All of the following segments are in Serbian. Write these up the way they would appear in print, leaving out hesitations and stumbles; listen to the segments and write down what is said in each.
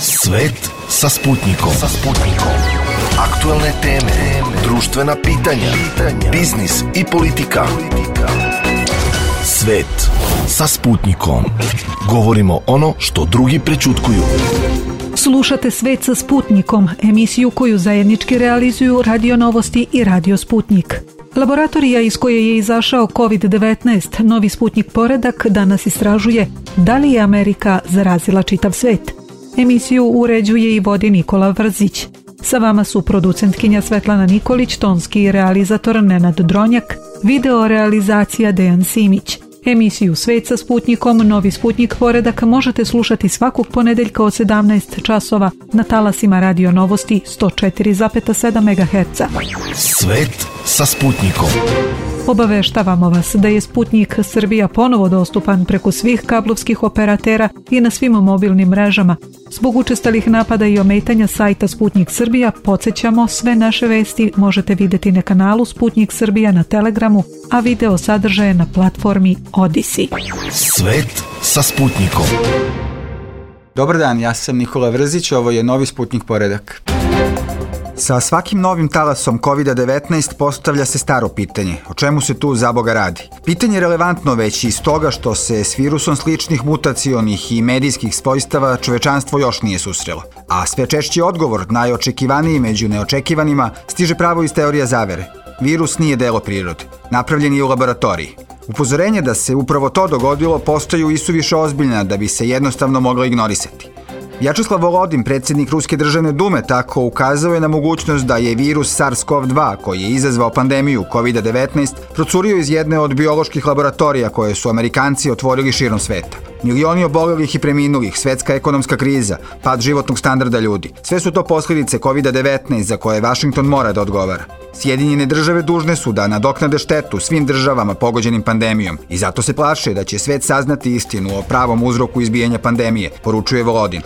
Svet sa Sputnikom. Aktuelne teme, društvena pitanja, biznis i politika. Svet sa Sputnikom. Govorimo ono što drugi prećutkuju. Slušate Svet sa Sputnikom, emisiju koju zajednički realizuju Radio Novosti i Radio Sputnik. Laboratorija iz koje je izašao COVID-19, novi Sputnik poredak, danas istražuje da li je Amerika zarazila čitav svet. Emisiju uređuje i vodi Nikola Vrzić. Sa vama su producentkinja Svetlana Nikolić, tonski realizator Nenad Dronjak, video realizacija Dejan Simić. Emisiju Svet sa Sputnikom, novi Sputnik poredak možete slušati svakog ponedeljka od 17 časova na talasima Radio Novosti 104,7 MHz. Svet sa Sputnikom. Obaveštavamo vas da je Sputnik Srbija ponovo dostupan preko svih kablovskih operatera i na svim mobilnim mrežama. Zbog učestalih napada i ometanja sajta Sputnik Srbija, podsjećamo, sve naše vesti možete vidjeti na kanalu Sputnik Srbija na Telegramu, a video sadržaje na platformi Odisi. Svet sa Sputnikom. Dobar dan, ja sam Nikola Vrzić, ovo je novi Sputnik poredak. Sa svakim novim talasom COVID-19 postavlja se staro pitanje. O čemu se tu zaboga radi? Pitanje je relevantno već iz toga što se s virusom sličnih mutacionih i medijskih svojstava čovečanstvo još nije susrelo. A sve češći odgovor, najočekivaniji među neočekivanima, stiže pravo iz teorija zavere. Virus nije delo prirode. Napravljen je u laboratoriji. Upozorenje da se upravo to dogodilo postaju isuviše ozbiljna da bi se jednostavno mogla ignorisati. Vjačeslav Volodin, predsjednik Ruske državne dume, tako ukazao je na mogućnost da je virus SARS-CoV-2, koji je izazvao pandemiju COVID-19, procurio iz jedne od bioloških laboratorija koje su Amerikanci otvorili širom sveta. Milioni obolelih i preminulih, svetska ekonomska kriza, pad životnog standarda ljudi. Sve su to posljedice COVID-19 za koje Washington mora da odgovara. Sjedinjene države dužne su da nadoknade štetu svim državama pogođenim pandemijom i zato se plaše da će svet saznati istinu o pravom uzroku izbijanja pandemije, poručuje Volodin.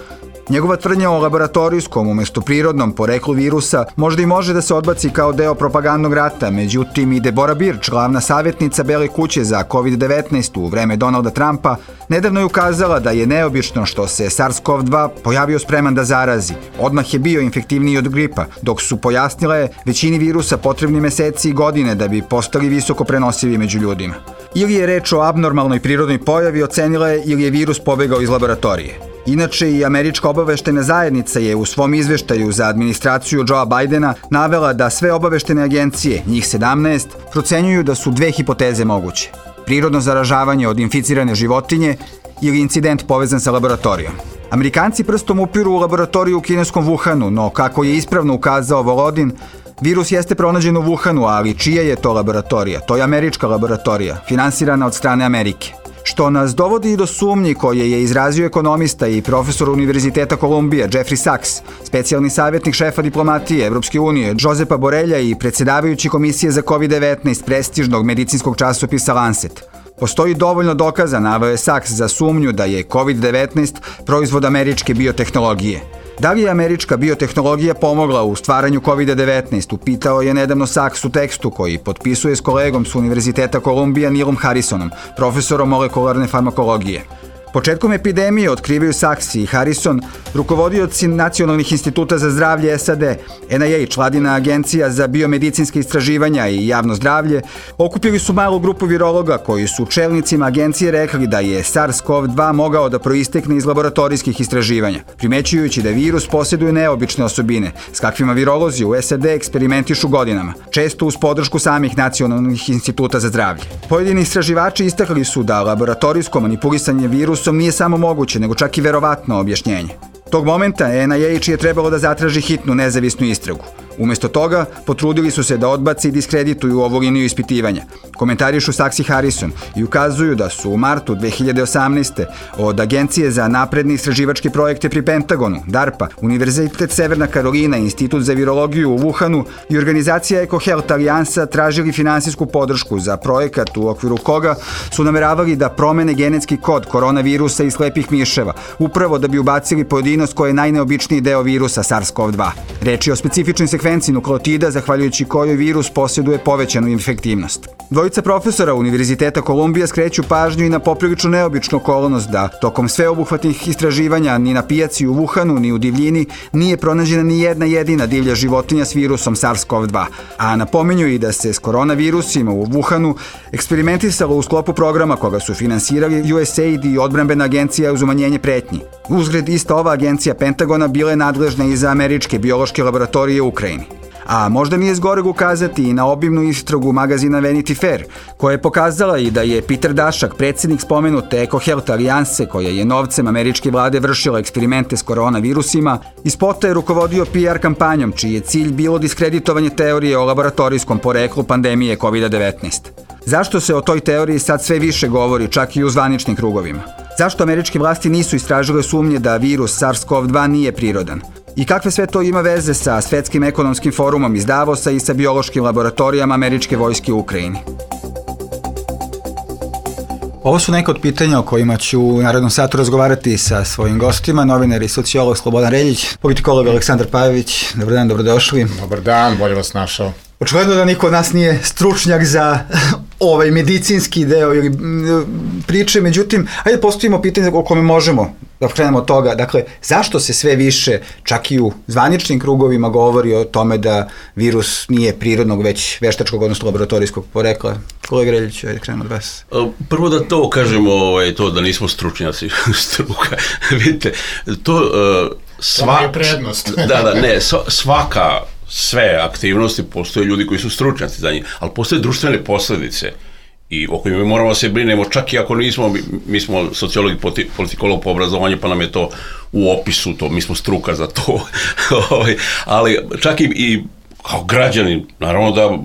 Njegova tvrdnja o laboratorijskom umjesto prirodnom poreklu virusa možda i može da se odbaci kao deo propagandnog rata, međutim i Deborah Birch, glavna savjetnica Bele kuće za COVID-19 u vreme Donalda Trumpa, nedavno je ukazala da je neobično što se SARS-CoV-2 pojavio spreman da zarazi. Odmah je bio infektivniji od gripa, dok su pojasnile većini virusa potrebni meseci i godine da bi postali visoko prenosivi među ljudima. Ili je reč o abnormalnoj prirodnoj pojavi, ocenila je, ili je virus pobegao iz laboratorije. Inače, i američka obaveštena zajednica je u svom izveštaju za administraciju Joea Bidena navela da sve obaveštene agencije, njih 17, procenjuju da su dve hipoteze moguće. Prirodno zaražavanje od inficirane životinje ili incident povezan sa laboratorijom. Amerikanci prstom upiru u laboratoriju u kineskom Wuhanu, no kako je ispravno ukazao Volodin, virus jeste pronađen u Wuhanu, ali čija je to laboratorija? To je američka laboratorija, finansirana od strane Amerike. Što nas dovodi i do sumnji koje je izrazio ekonomista i profesor Univerziteta Kolumbija Jeffrey Sachs, specijalni savjetnik šefa diplomatije Evropske unije Josepa Borelja i predsjedavajući komisije za COVID-19 prestižnog medicinskog časopisa Lancet. Postoji dovoljno dokaza, naveo je Sachs, za sumnju da je COVID-19 proizvod američke biotehnologije. Da li je američka biotehnologija pomogla u stvaranju COVID-19, upitao je nedavno Sachs u tekstu koji potpisuje s kolegom s Univerziteta Kolumbija Neilom Harrisonom, profesorom molekularne farmakologije. Početkom epidemije, otkrivaju Sachs i Harrison, rukovodioci Nacionalnih instituta za zdravlje SAD, NIH, vladina agencija za biomedicinske istraživanja i javno zdravlje, okupili su malu grupu virologa koji su čelnicima agencije rekli da je SARS-CoV-2 mogao da proistekne iz laboratorijskih istraživanja, primećujući da virus posjeduje neobične osobine, s kakvima virolozi u SAD eksperimentišu godinama, često uz podršku samih Nacionalnih instituta za zdravlje. Pojedini istraživači istakli su da laboratorijsko manipulisanje virusa nije samo moguće, nego čak i verovatno objašnjenje. Tog momenta NIH je trebalo da zatraži hitnu nezavisnu istragu. Umjesto toga, potrudili su se da odbaci i diskredituju ovu liniju ispitivanja. Komentarišu Sachs i Harrison i ukazuju da su u martu 2018. od Agencije za napredne istraživačke projekte pri Pentagonu, DARPA, Univerzitet Severna Karolina, Institut za virologiju u Wuhanu i organizacija EcoHealth Alijansa tražili finansijsku podršku za projekat u okviru koga su nameravali da promene genetski kod koronavirusa i slepih miševa, upravo da bi ubacili pojedinost koja je najneobičniji deo virusa SARS-CoV-2. Reč je o specifičnoj sekvenciji nukleotida zahvaljujući kojoj virus posjeduje povećanu infektivnost. Dvojica profesora Univerziteta Kolumbija skreću pažnju i na poprilično neobičnu okolnost da tokom sveobuhvatnih istraživanja ni na pijaci u Wuhanu ni u divljini nije pronađena ni jedna jedina divlja životinja s virusom SARS-CoV-2, a napominju i da se s koronavirusima u Wuhanu eksperimentisalo u sklopu programa koga su finansirali USAID i odbrambena agencija uz umanjenje pretnji. Uzgred, ista ova agencija Pentagona bila je nadležna i za američke biološke laboratorije u Ukrajini. A možda nije zgoreg ukazati i na obimnu istragu magazina Vanity Fair, koja je pokazala i da je Peter Daszak, predsjednik spomenute EcoHealth alijanse, koja je novcem američke vlade vršila eksperimente s koronavirusima, iz spota je rukovodio PR kampanjom, čiji je cilj bilo diskreditovanje teorije o laboratorijskom poreklu pandemije COVID-19. Zašto se o toj teoriji sad sve više govori, čak i u zvaničnim krugovima? Zašto američke vlasti nisu istražile sumnje da virus SARS-CoV-2 nije prirodan? I kakve sve to ima veze sa Svetskim ekonomskim forumom iz Davosa i sa biološkim laboratorijama američke vojske u Ukrajini? Ovo su neka od pitanja o kojima ću u narednom satu razgovarati sa svojim gostima, novinar i sociolog Slobodan Reljić, politikolog Aleksandar Pajović. Dobar dan, dobrodošli. Dobar dan, bolje vas našao. Očigledno da niko od nas nije stručnjak za ovaj medicinski deo ili priče, međutim, ajde postavimo pitanje o kome možemo da krenemo od toga. Dakle, zašto se sve više, čak i u zvaničnim krugovima, govori o tome da virus nije prirodnog, već veštačkog, odnosno laboratorijskog porekla? Kolega Reljić, ajde krenemo od vas. Prvo da to kažemo, to da nismo stručnjaci, struka. Vidite, to je prednost. Sve aktivnosti, postoje ljudi koji su stručnjaci za njih, ali postoje društvene posljedice i o kojima mi moramo se brinemo, čak i ako nismo, mi smo sociolog i politikolog po obrazovanju, pa nam je to u opisu, mi smo struka za to, ali čak i kao građanin, naravno da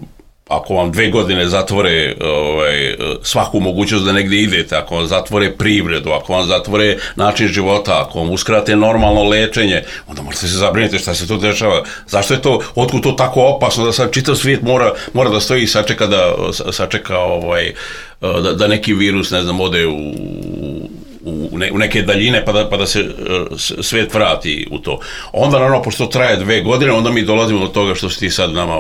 ako vam 2 godine zatvore svaku mogućnost da negdje idete, ako vam zatvore privredu, ako vam zatvore način života, ako vam uskrate normalno lečenje, onda morate se zabriniti šta se to dešava. Zašto je to, otkud to tako opasno da sad čitav svijet mora da stoji i sačeka da neki virus, ne znam, ode u neke daljine pa da se svijet vrati u to. Onda naravno, pošto traje 2 godine, onda mi dolazimo do toga što si ti sad nama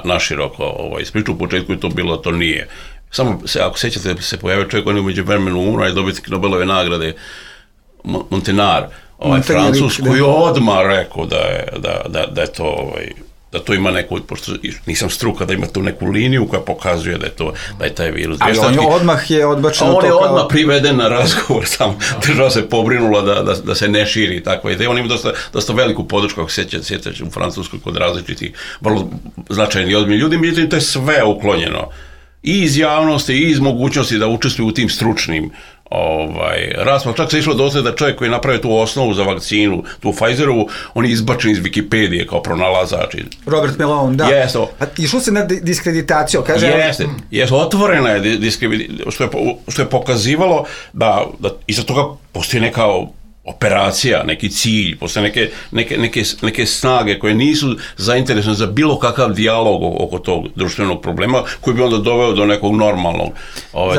naširoko ispričao. U početku je to bilo, to nije. Samo se, ako sjećate, se pojavio čovjek, on je umeđu vremenu umro i dobitnik Nobelove nagrade, Montagnard, Francus, koji je odmah rekao da je to da to ima neku, pošto nisam struka, da ima tu neku liniju koja pokazuje da je taj virus. Ali on je odmah odbačen to kao... On je odmah priveden na razgovor, sam država se pobrinula da se ne širi takva ideja. On ima dosta veliku podršku, ako sjećate, u Francuskoj kod različitih vrlo značajnih i ozbiljnih ljudi, međutim to je sve uklonjeno. I iz javnosti, i iz mogućnosti da učestvuju u tim stručnim rasprav. Čak se išlo dotle da čovjek koji je napravio tu osnovu za vakcinu, tu Pfizerovu, on je izbačen iz Wikipedije kao pronalazač. Robert Malone, da. Yes, išlo se na diskreditaciju, kaže... Jeste, otvorena je diskreditacija, što je pokazivalo da iza toga postoji neka operacija, neki cilj, postoje neke snage koje nisu zainteresovane za bilo kakav dijalog oko tog društvenog problema koji bi onda doveo do nekog normalnog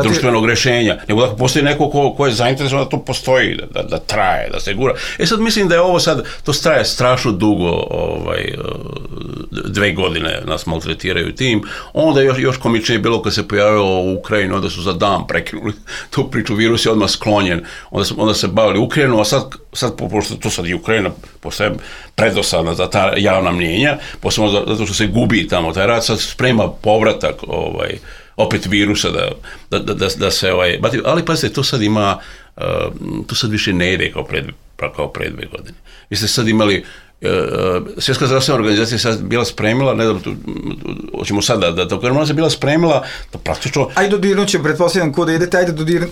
društvenog rješenja. Nego da postoji neko ko je zainteresovan da to postoji, da traje, da se gura. Sad mislim da je ovo sad, to traje strašno dugo, 2 godine nas maltretiraju tim. Onda još komičnije bilo kad se pojavilo u Ukrajinu, onda su za dan prekinuli tu priču, virus je odmah sklonjen, onda se bavili Ukrajinu, a sad pošto to sad i Ukrajina postaje predosadna za ta javna mnjenja, posebno zato što se gubi tamo taj rat, sad sprema povratak opet virusa da se ali pazite, to sad ima, to sad više ne ide kao pre 2 godine. Vi ste sad imali Svjetska zdravstvena organizacija je sad bila spremila, ne znam, hoćemo sad da to kažemo, ona se bila spremila da praktično... Ajde dodirnut ćemo, pretpostavljam kuda idete, ajde dodirnut...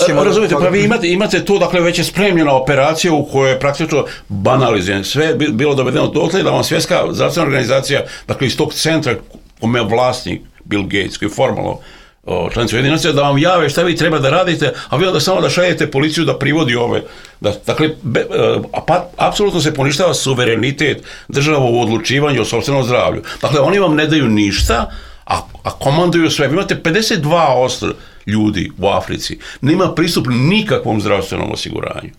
Razumijete, pa vi imate tu, dakle, već je spremljena operacija u kojoj je praktično banaliziran. Sve je bilo dovedeno dotle da vam Svjetska zdravstvena organizacija, dakle, iz tog centra kome je vlasnik Bill Gates, koji je formalno članica Ujedinjenih nacija, da vam jave šta vi treba da radite, a vi onda samo da šaljete policiju da privodi ove. Dakle, apsolutno se poništava suverenitet država u odlučivanju o sopstvenom zdravlju. Dakle, oni vam ne daju ništa, a komanduju sve. Vi imate 52% ljudi u Africi, nema pristup nikakvom zdravstvenom osiguranju.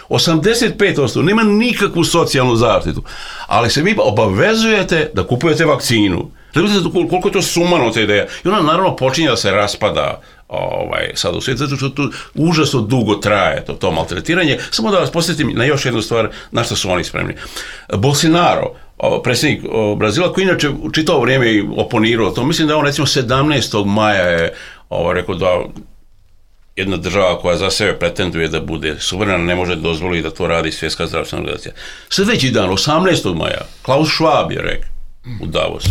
85% nema nikakvu socijalnu zaštitu, ali se vi obavezujete da kupujete vakcinu. Gledajte koliko je to sumano ta ideja. I ona naravno počinje da se raspada sad u svijetu, zato što to užasno dugo traje, to maltretiranje. Samo da vas posjetim na još jednu stvar, na što su oni spremni. Bolsonaro, predsjednik Brazila, koji inače u čitavo vrijeme oponirao to, mislim da on recimo 17. maja je rekao da jedna država koja za sebe pretenduje da bude suverena ne može dozvoliti da to radi Svjetska zdravstvena organizacija. Sljedeći dan, 18. maja, Klaus Schwab je rekao u Davosu,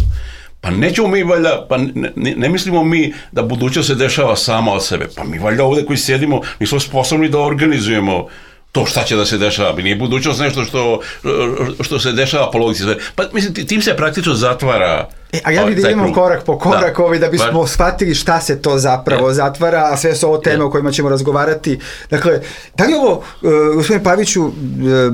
pa nećemo mi valjda, pa ne mislimo mi da budućnost se dešava sama od sebe, pa mi valjda ovdje koji sjedimo nismo sposobni da organizujemo to šta će da se dešava, nije budućnost nešto što se dešava po logici. Pa mislim, tim se praktično zatvara. A ja bih da idemo korak po korak da bismo shvatili šta se to zapravo zatvara, a sve su ovo teme o kojima ćemo razgovarati. Dakle, da li ovo, gospodine Paviću,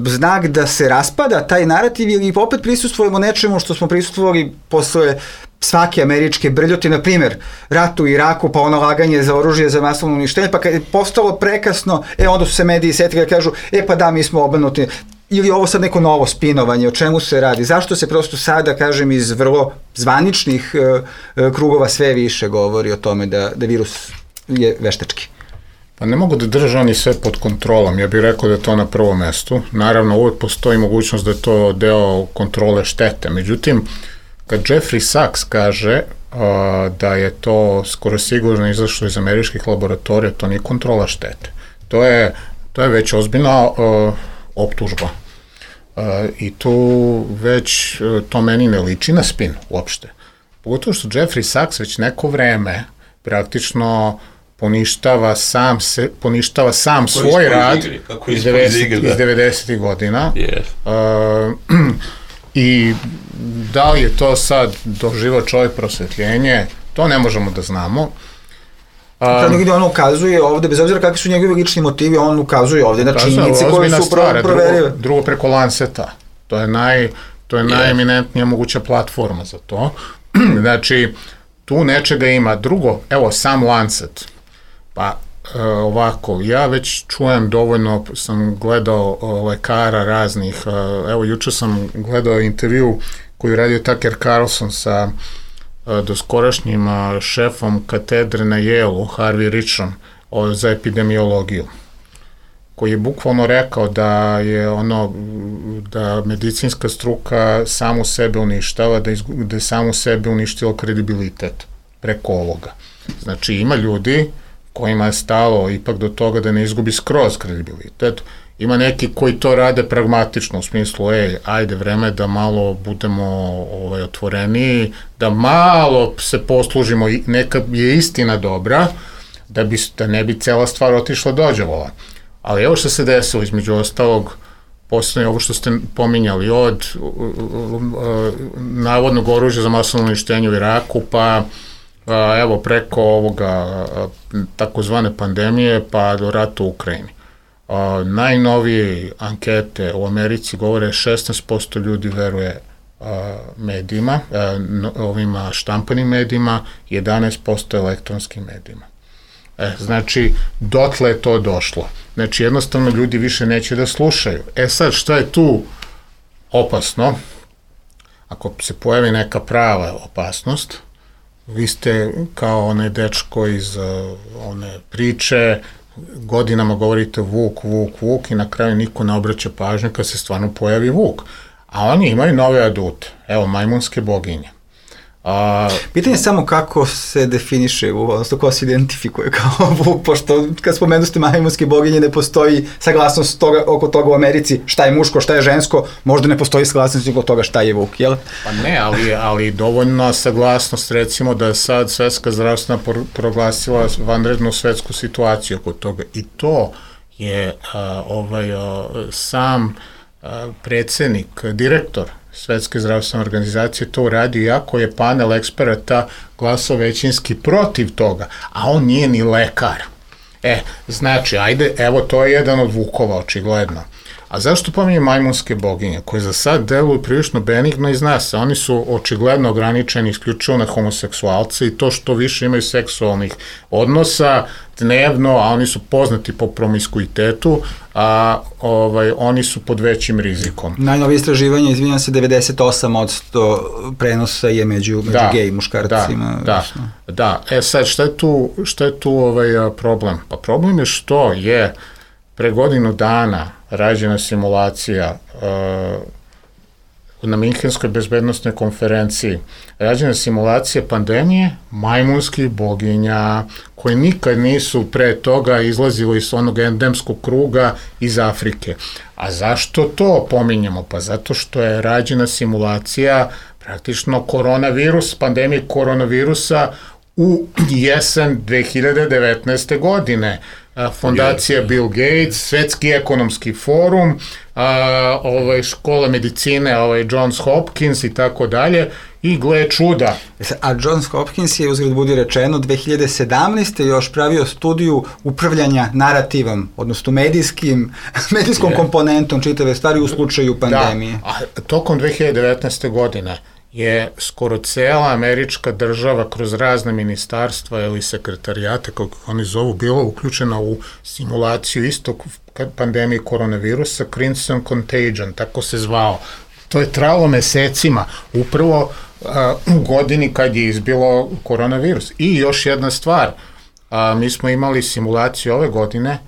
znak da se raspada taj narativ ili opet prisustvujemo nečemu što smo prisustvovali posle svake američke brljoti, na primjer, rat u Iraku, pa ono laganje za oružje za masovno uništenje, pa kad je postalo prekasno, onda su se mediji setili da kažu, pa da, mi smo obrnuti. Ili ovo sad neko novo spinovanje, o čemu se radi? Zašto se prosto sada, kažem, iz vrlo zvaničnih krugova sve više govori o tome da virus je veštački? Pa ne mogu da drže oni sve pod kontrolom, ja bih rekao da je to na prvom mestu. Naravno, uvijek postoji mogućnost da je to deo kontrole štete. Međutim, kad Jeffrey Sachs kaže da je to skoro sigurno izašlo iz američkih laboratorija, to nije kontrola štete. To je već ozbiljna optužba. I tu već to meni ne liči na spin uopšte. Pogotovo što Jeffrey Sachs već neko vreme praktično poništava sam svoj rad iz 90. godina. I da li je to sad doživao čovjek prosvetljenje, to ne možemo da znamo. Gdje on ukazuje ovde, bez obzira kakvi su njegovi lični motivi, on ukazuje ovde na činjenice koje su proverive. Drugo preko Lanceta. To je najeminentnija moguća platforma za to. Znači, tu nečega ima. Drugo, evo, sam Lancet. Pa, ovako, ja već čujem dovoljno, sam gledao lekara raznih, evo, juče sam gledao intervju koju je radio Tucker Carlson sa doskorašnjim šefom katedre na Yale-u, Harvey Richom, za epidemiologiju, koji je bukvalno rekao da je da medicinska struka samu sebe uništava, da je samu sebe uništilo kredibilitet preko ovoga. Znači, ima ljudi kojima je stalo ipak do toga da ne izgubi skroz kredibilitet. Ima neki koji to rade pragmatično, u smislu, ajde, vreme da malo budemo otvoreniji, da malo se poslužimo, neka je istina dobra, da ne bi cela stvar otišla dođavola. Ali evo što se desilo, između ostalog, poslednje ovo što ste pominjali, od navodnog oružja za masovno uništenje u Iraku, pa evo preko ovoga takozvane pandemije, pa do rata u Ukrajini. Najnovije ankete u Americi govore 16% ljudi veruje medijima, ovima štampanim medijima, 11% elektronskim medijima. Znači, dotle je to došlo. Znači, jednostavno ljudi više neće da slušaju. Sad, šta je tu opasno? Ako se pojavi neka prava opasnost, vi ste kao onaj dečko iz one priče, godinama govorite vuk i na kraju niko ne obraća pažnju kad se stvarno pojavi vuk. A oni imaju nove adute. Evo, majmunske boginje. Pitanje je samo kako se definiše, odnosno ko se identifikuje kao vuk, pošto kad spomenuste majmunske boginje ne postoji saglasnost oko toga u Americi šta je muško, šta je žensko, možda ne postoji saglasnost oko toga šta je vuk, jel? Pa ne, ali dovoljna saglasnost, recimo da je sad Svetska zdravstvena proglasila vanrednu svetsku situaciju oko toga i to je sam predsednik, direktor Svetske zdravstvene organizacije to uradio, iako je panel eksperata glasao većinski protiv toga, a on nije ni lekar. Znači, ajde, evo, to je jedan od vukova, očigledno. A zašto pominjem majmunske boginje, koje za sad deluju prilično benigno i zna se, oni su očigledno ograničeni isključivo na homoseksualce i to što više imaju seksualnih odnosa dnevno, a oni su poznati po promiskuitetu, a oni su pod većim rizikom. Najnovije istraživanje, izvinjam se, 98% prenosa je među gej muškarcima. Da. Sad, šta je tu problem? Pa problem je što je pre godinu dana rađena simulacija na Minhenskoj bezbednostnoj konferenciji, rađena simulacija pandemije majmunskih boginja, koje nikad nisu pre toga izlazili iz onog endemskog kruga iz Afrike. A zašto to pominjamo? Pa zato što je rađena simulacija praktično pandemije koronavirusa u jesen 2019. godine. Fondacija Bill Gates, Svetski ekonomski forum, škola medicine, Johns Hopkins i tako dalje, i gle čuda. A Johns Hopkins je, uzgled budi rečeno, 2017. još pravio studiju upravljanja narativom, odnosno medijskom komponentom čitave stvari u slučaju pandemije. Da, a tokom 2019. godine je skoro cela američka država kroz razne ministarstva ili sekretarijate, kako oni zovu, bila uključena u simulaciju istog pandemije koronavirusa, Crimson Contagion, tako se zvao. To je trajalo mesecima, upravo u godini kad je izbilo koronavirus. I još jedna stvar, mi smo imali simulaciju ove godine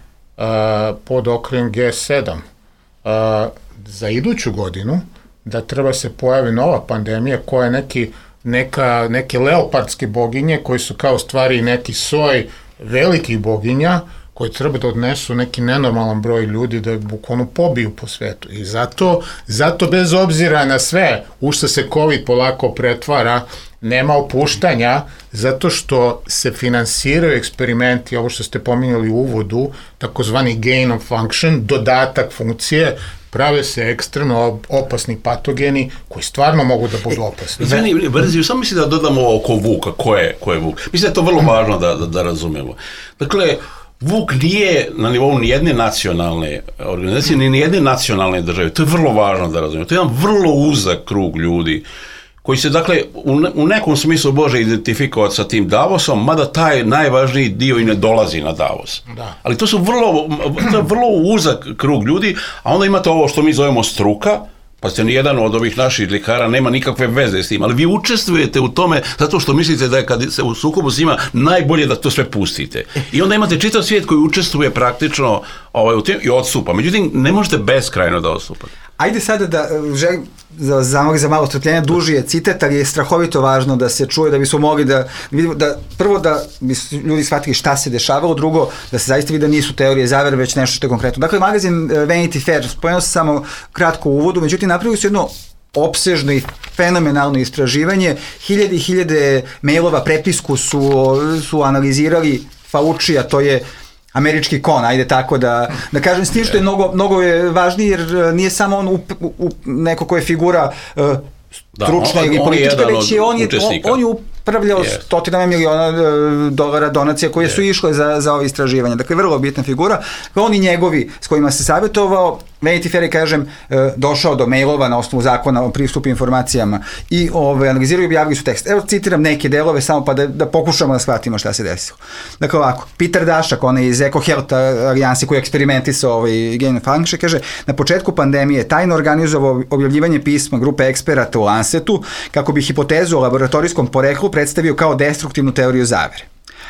pod okriljem G7. Za iduću godinu da treba se pojavi nova pandemija koja je neke leopardske boginje koji su kao stvari neki soj velikih boginja koji treba da odnesu neki nenormalan broj ljudi da bukvalno pobiju po svetu. I zato bez obzira na sve u što se COVID polako pretvara, nema opuštanja, zato što se finansiraju eksperimenti, ovo što ste pominjali u uvodu, takozvani gain of function, dodatak funkcije, prave se ekstremno opasni patogeni koji stvarno mogu da budu opasni. Izvini, Brziju, samo mislim da dodamo oko Vuka, ko je Vuk. Mislim da je to vrlo važno da razumemo. Dakle, Vuk nije na nivou nijedne nacionalne organizacije, ni nijedne nacionalne države. To je vrlo važno da razumemo. To je jedan vrlo uzak krug ljudi koji se, dakle, u nekom smislu može identifikovati sa tim Davosom, mada taj najvažniji dio i ne dolazi na Davos. Da. Ali to je vrlo uzak krug ljudi, a onda imate ovo što mi zovemo struka, pa ste nijedan od ovih naših ljekara nema nikakve veze s tim, ali vi učestvujete u tome zato što mislite da je kad se u sukobu s njima najbolje da to sve pustite. I onda imate čitav svijet koji učestvuje praktično u tim i odstupa. Međutim, ne možete beskrajno da odstupate. Ajde sada da želim za malo strpljenja, duži je citat, ali je strahovito važno da se čuje, da bismo mogli da vidimo, prvo da bi ljudi shvatili šta se dešavalo, drugo da se zaista vidi da nisu teorije zavere, već nešto što je konkretno. Dakle, magazin Vanity Fair, spomenuo sam samo kratko u uvodu, međutim napravili su jedno opsežno i fenomenalno istraživanje, hiljade i hiljade mailova, prepisku su analizirali Faucija, to je američki kon, ajde tako da kažem, s tim što je mnogo je važniji, jer nije samo on neko ko je figura stručna ili politička, već je on je upravljao stotinama miliona dolara donacija koje su išle za ove istraživanja. Dakle, vrlo bitna figura. Oni njegovi s kojima se savjetovao, Vanity Fair je, kažem, došao do mailova na osnovu zakona o pristupu informacijama i analiziraju i objavili su tekst. Evo citiram neke delove samo pa da pokušamo da shvatimo šta se desilo. Dakle, ovako, Peter Daszak, on je iz EcoHealth alijansi koji je eksperimentisao gain of function, kaže, na početku pandemije tajno organizovao objavljivanje pisma grupe eksperata u Lancetu kako bi hipotezu o laboratorijskom poreklu predstavio kao destruktivnu teoriju zavere.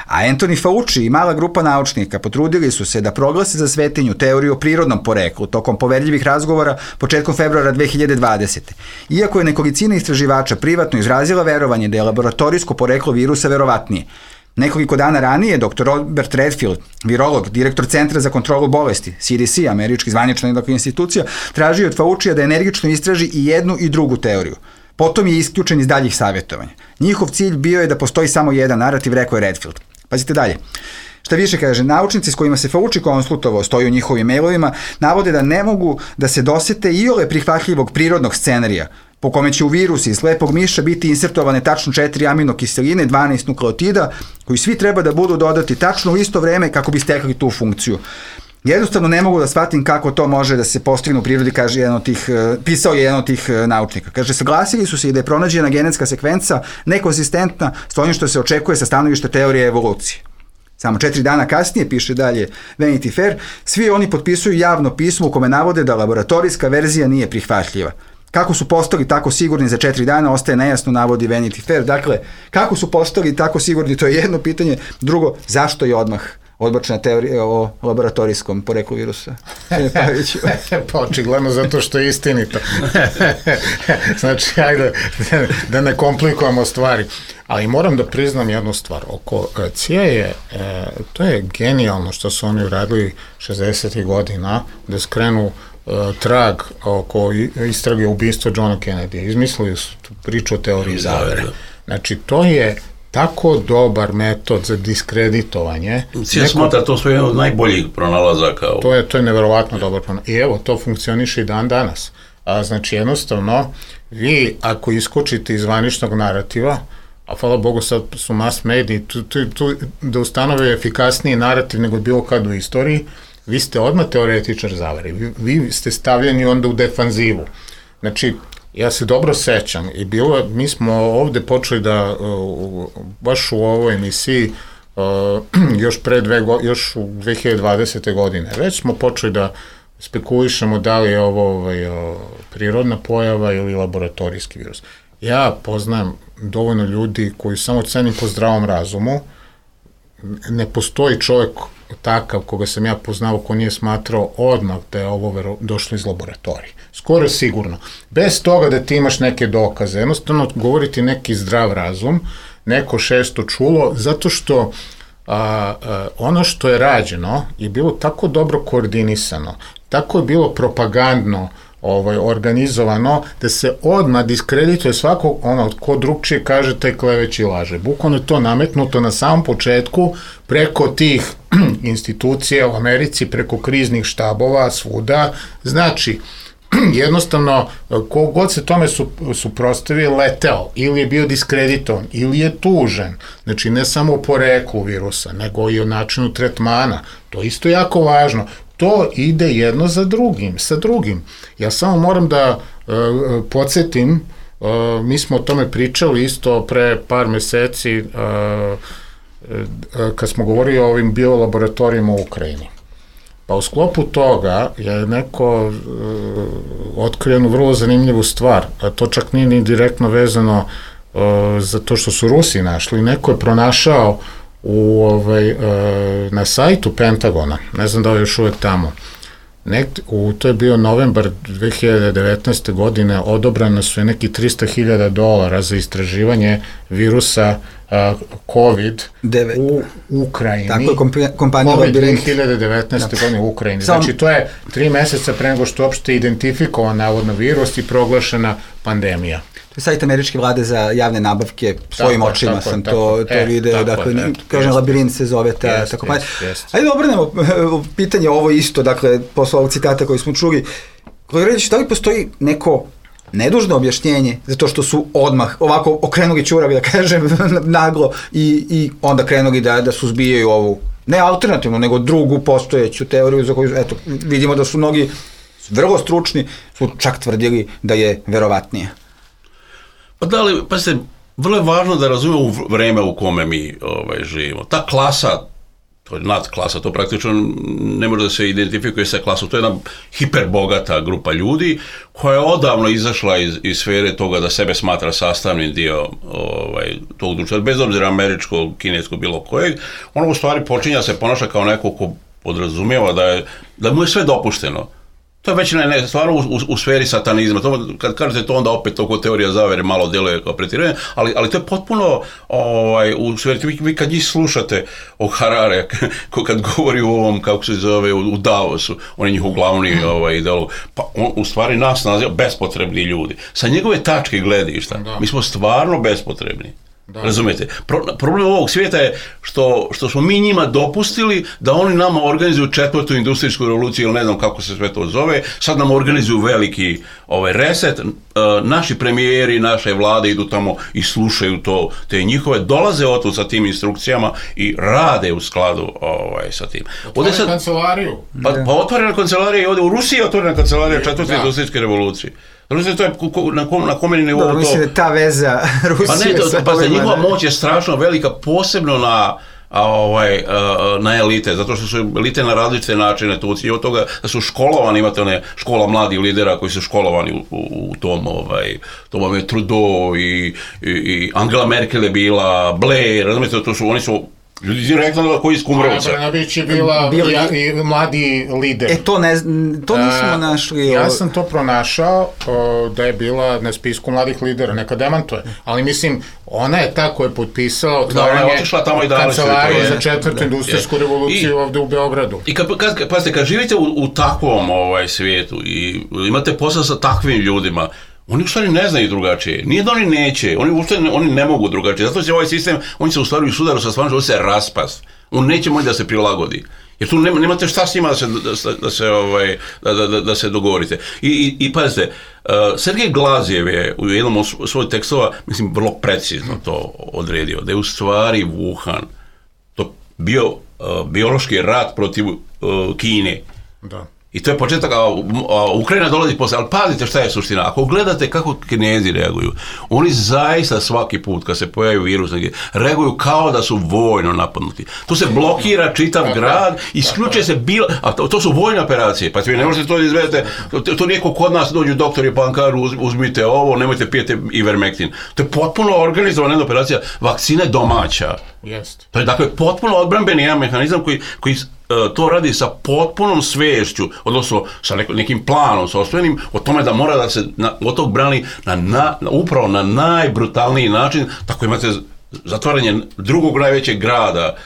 A Anthony Fauci i mala grupa naučnika potrudili su se da proglase za svetinju teoriju o prirodnom poreklu tokom poverljivih razgovora početkom februara 2020. Iako je nekolicina istraživača privatno izrazila verovanje da je laboratorijsko poreklo virusa verovatnije. Nekoliko dana ranije dr. Robert Redfield, virolog, direktor Centra za kontrolu bolesti, CDC, američki zvanična institucija, tražio od Faucija da energično istraži i jednu i drugu teoriju. Potom je isključen iz daljih savjetovanja. Njihov cilj bio je da postoji samo jedan narativ, rekao je Redfield. Pazite dalje. Šta više kaže, naučnici s kojima se Fauci konsultovao, stoji u njihovim mailovima, navode da ne mogu da se dosete iole prihvatljivog prirodnog scenarija, po kome će u virusi iz lepog miša biti insertovane tačno 4 aminokiseline, 12 nukleotida, koji svi treba da budu dodati tačno u isto vreme kako bi stekli tu funkciju. Jednostavno ne mogu da shvatim kako to može da se postigne u prirodi, kaže pisao je jedan od tih naučnika. Kaže, saglasili su se i da je pronađena genetska sekvenca nekonsistentna s onim što se očekuje sa stanovišta teorije evolucije. Samo 4 dana kasnije, piše dalje Vanity Fair, svi oni potpisuju javno pismo u kome navode da laboratorijska verzija nije prihvatljiva. Kako su postali tako sigurni za 4 dana, ostaje nejasno, navodi Vanity Fair. Dakle, kako su postali tako sigurni, to je jedno pitanje. Drugo, zašto je odmah odbačena teorija o laboratorijskom poreklu virusa? Pa očigledno zato što je istinito. Znači, ajde da ne komplikujemo stvari. Ali moram da priznam jednu stvar. Oko CIA to je genijalno što su oni uradili 60. godina, da skrenu trag oko istrage ubistva Johna Kennedy. Izmislili su tu priču o teoriji zavere. Znači, to je tako dobar metod za diskreditovanje. Cija smatra to sve od najboljih pronalazaka. To je neverovatno dobar pronalazak. I evo, to funkcioniše i dan danas. Znači, jednostavno, vi ako iskočite iz zvaničnog narativa, a hvala Bogu sad su mass mediji, tu da ustanove efikasniji narativ nego bilo kad u istoriji, vi ste odmah teoretičar zavere. Vi ste stavljeni onda u defanzivu. Znači, ja se dobro sećam i mi smo ovde počeli da, baš u ovoj emisiji, još u 2020. godine, već smo počeli da spekulišemo da li je ovo prirodna pojava ili laboratorijski virus. Ja poznajem dovoljno ljudi koji samo cenim po zdravom razumu. Ne postoji čovjek takav koga sam ja poznao ko nije smatrao odmah da je ovo došlo iz laboratorije. Skoro sigurno. Bez toga da ti imaš neke dokaze. Jednostavno govoriti neki zdrav razum, neko šesto čulo, zato što ono što je rađeno je bilo tako dobro koordinisano, tako je bilo propagandno organizovano, da se odmah diskredituje svako ko drugčije kaže taj kleveći laže. Bukvalno je to nametnuto na samom početku preko tih institucija u Americi, preko kriznih štabova, svuda. Znači, jednostavno, kogod se tome suprotstavio, leteo, ili je bio diskreditovan, ili je tužen. Znači, ne samo o poreklu virusa, nego i o načinu tretmana. To je isto jako važno. To ide jedno sa drugim. Ja samo moram da podsjetim, mi smo o tome pričali isto pre par meseci kad smo govorili o ovim biolaboratorijima u Ukrajini. Pa u sklopu toga je neko otkrio jednu vrlo zanimljivu stvar, a to čak nije ni direktno vezano za to što su Rusi našli. Neko je pronašao na sajtu Pentagona, ne znam da je još uvek tamo, to je bio novembar 2019. godine, odobrano su neki $300,000 za istraživanje virusa COVID u Ukrajini. Tako je kompanija COVID 2019. godine u Ukrajini. Znači, to je 3 meseca pre nego što je uopšte identifikovan navodno virus i proglašena pandemija. To je sajt američke vlade za javne nabavke, svojim očima sam to video, dakle, kažem, Labirint se zove ta kompanija. Ajde da obranemo pitanje ovo isto, dakle, posle ovog citata koji smo čuli. Kolega Redić, da li postoji neko nedužno objašnjenje za to što su odmah ovako okrenuli ćuravi, da kažem, naglo i onda krenuli da suzbijaju ovu, ne alternativnu, nego drugu postojeću teoriju za koju, eto, vidimo da su mnogi vrlo stručni, su čak tvrdili da je verovatnije. Pa da li, pa se, vrlo je važno da razumemo vreme u kome mi živimo. Ta klasa, to je nadklasa, to praktično ne može da se identifikuje sa klasom, to je jedna hiperbogata grupa ljudi koja je odavno izašla iz sfere toga da sebe smatra sastavnim dio tog društva, bez obzira američkog, kineskog, bilo kojeg, ono u stvari počinja da se ponaša kao neko ko podrazumijeva da mu je sve dopušteno. To je već stvarno u sferi satanizma. Kad kažete to, onda opet oko teorija zavere malo djeluje kao pretiranje, ali to je potpuno u sferi. Vi kad njih slušate o Harare, kad govori u ovom, kako se zove, u Davosu, on je njihov glavni ideolog, pa on u stvari nas naziva bespotrebni ljudi. Sa njegove tačke gledišta, mi smo stvarno bespotrebni. Razumete? Problem ovog svijeta je što smo mi njima dopustili da oni nama organizuju 4. industrijsku revoluciju ili ne znam kako se sve to zove, sad nam organizuju veliki reset, naši premijeri, naše vlade idu tamo i slušaju to, te njihove, dolaze otud sa tim instrukcijama i rade u skladu sa tim. Otvorena kancelariju. Pa otvorena kancelarija i ovdje u Rusiji je otvorena kancelarija četvrte industrijske revolucije. Rusija, to je na komeni nivou to... Mislim da ta veza Rusije... Pa ne, njihova moć je strašno velika, posebno na elite, zato što su elite na različite načine tu od toga da su školovani, imate one škola mladih lidera koji su školovani u tom vam je Trudeau i Angela Merkel je bila, Blair, razumijete, oni su ljudi direktno koji iz Kumrovca. Brnabić je bila i mladi lider. To nismo našli. Ja sam to pronašao da je bila na spisku mladih lidera, neka demantuje. Ali mislim, ona je ta koja je potpisala otvaranje kancelarije za četvrtu industrijsku revoluciju ovde u Beogradu. I kad živite u takvom svijetu i imate posao sa takvim ljudima, oni u stvari ne znaju drugačije. Nije da oni neće, oni ne mogu drugačije. Zato će ovaj sistem, oni se u stvari u sudaru sa stvarno, se raspast. On neće moći da se prilagodi. Jer tu nemate šta s njima da se dogovorite. I pazite, Sergej Glazjev je u jednom od svojih tekstova, mislim, vrlo precizno to odredio, da je u stvari Wuhan to bio biološki rat protiv Kine. Da. I to je početak, Ukrajina dolazi posle, ali pazite šta je suština. Ako gledate kako Kinezi reaguju, oni zaista svaki put kad se pojavi virus, reaguju kao da su vojno napadnuti. To se blokira čitav grad, isključuje se a to su vojne operacije, pa vi ne možete to izvedete, to nijeko kod nas dođu doktori pa vam kažu uzmite ovo, nemojte pijete Ivermectin. To je potpuno organizovana operacija, vakcina je domaća. To je dakle potpuno odbrambeni jedan mehanizam koji to radi sa potpunom svešću, odnosno sa nekim planom sopstvenim, o tome da mora da se od tog brani upravo na najbrutalniji način, tako imate zatvaranje drugog najvećeg grada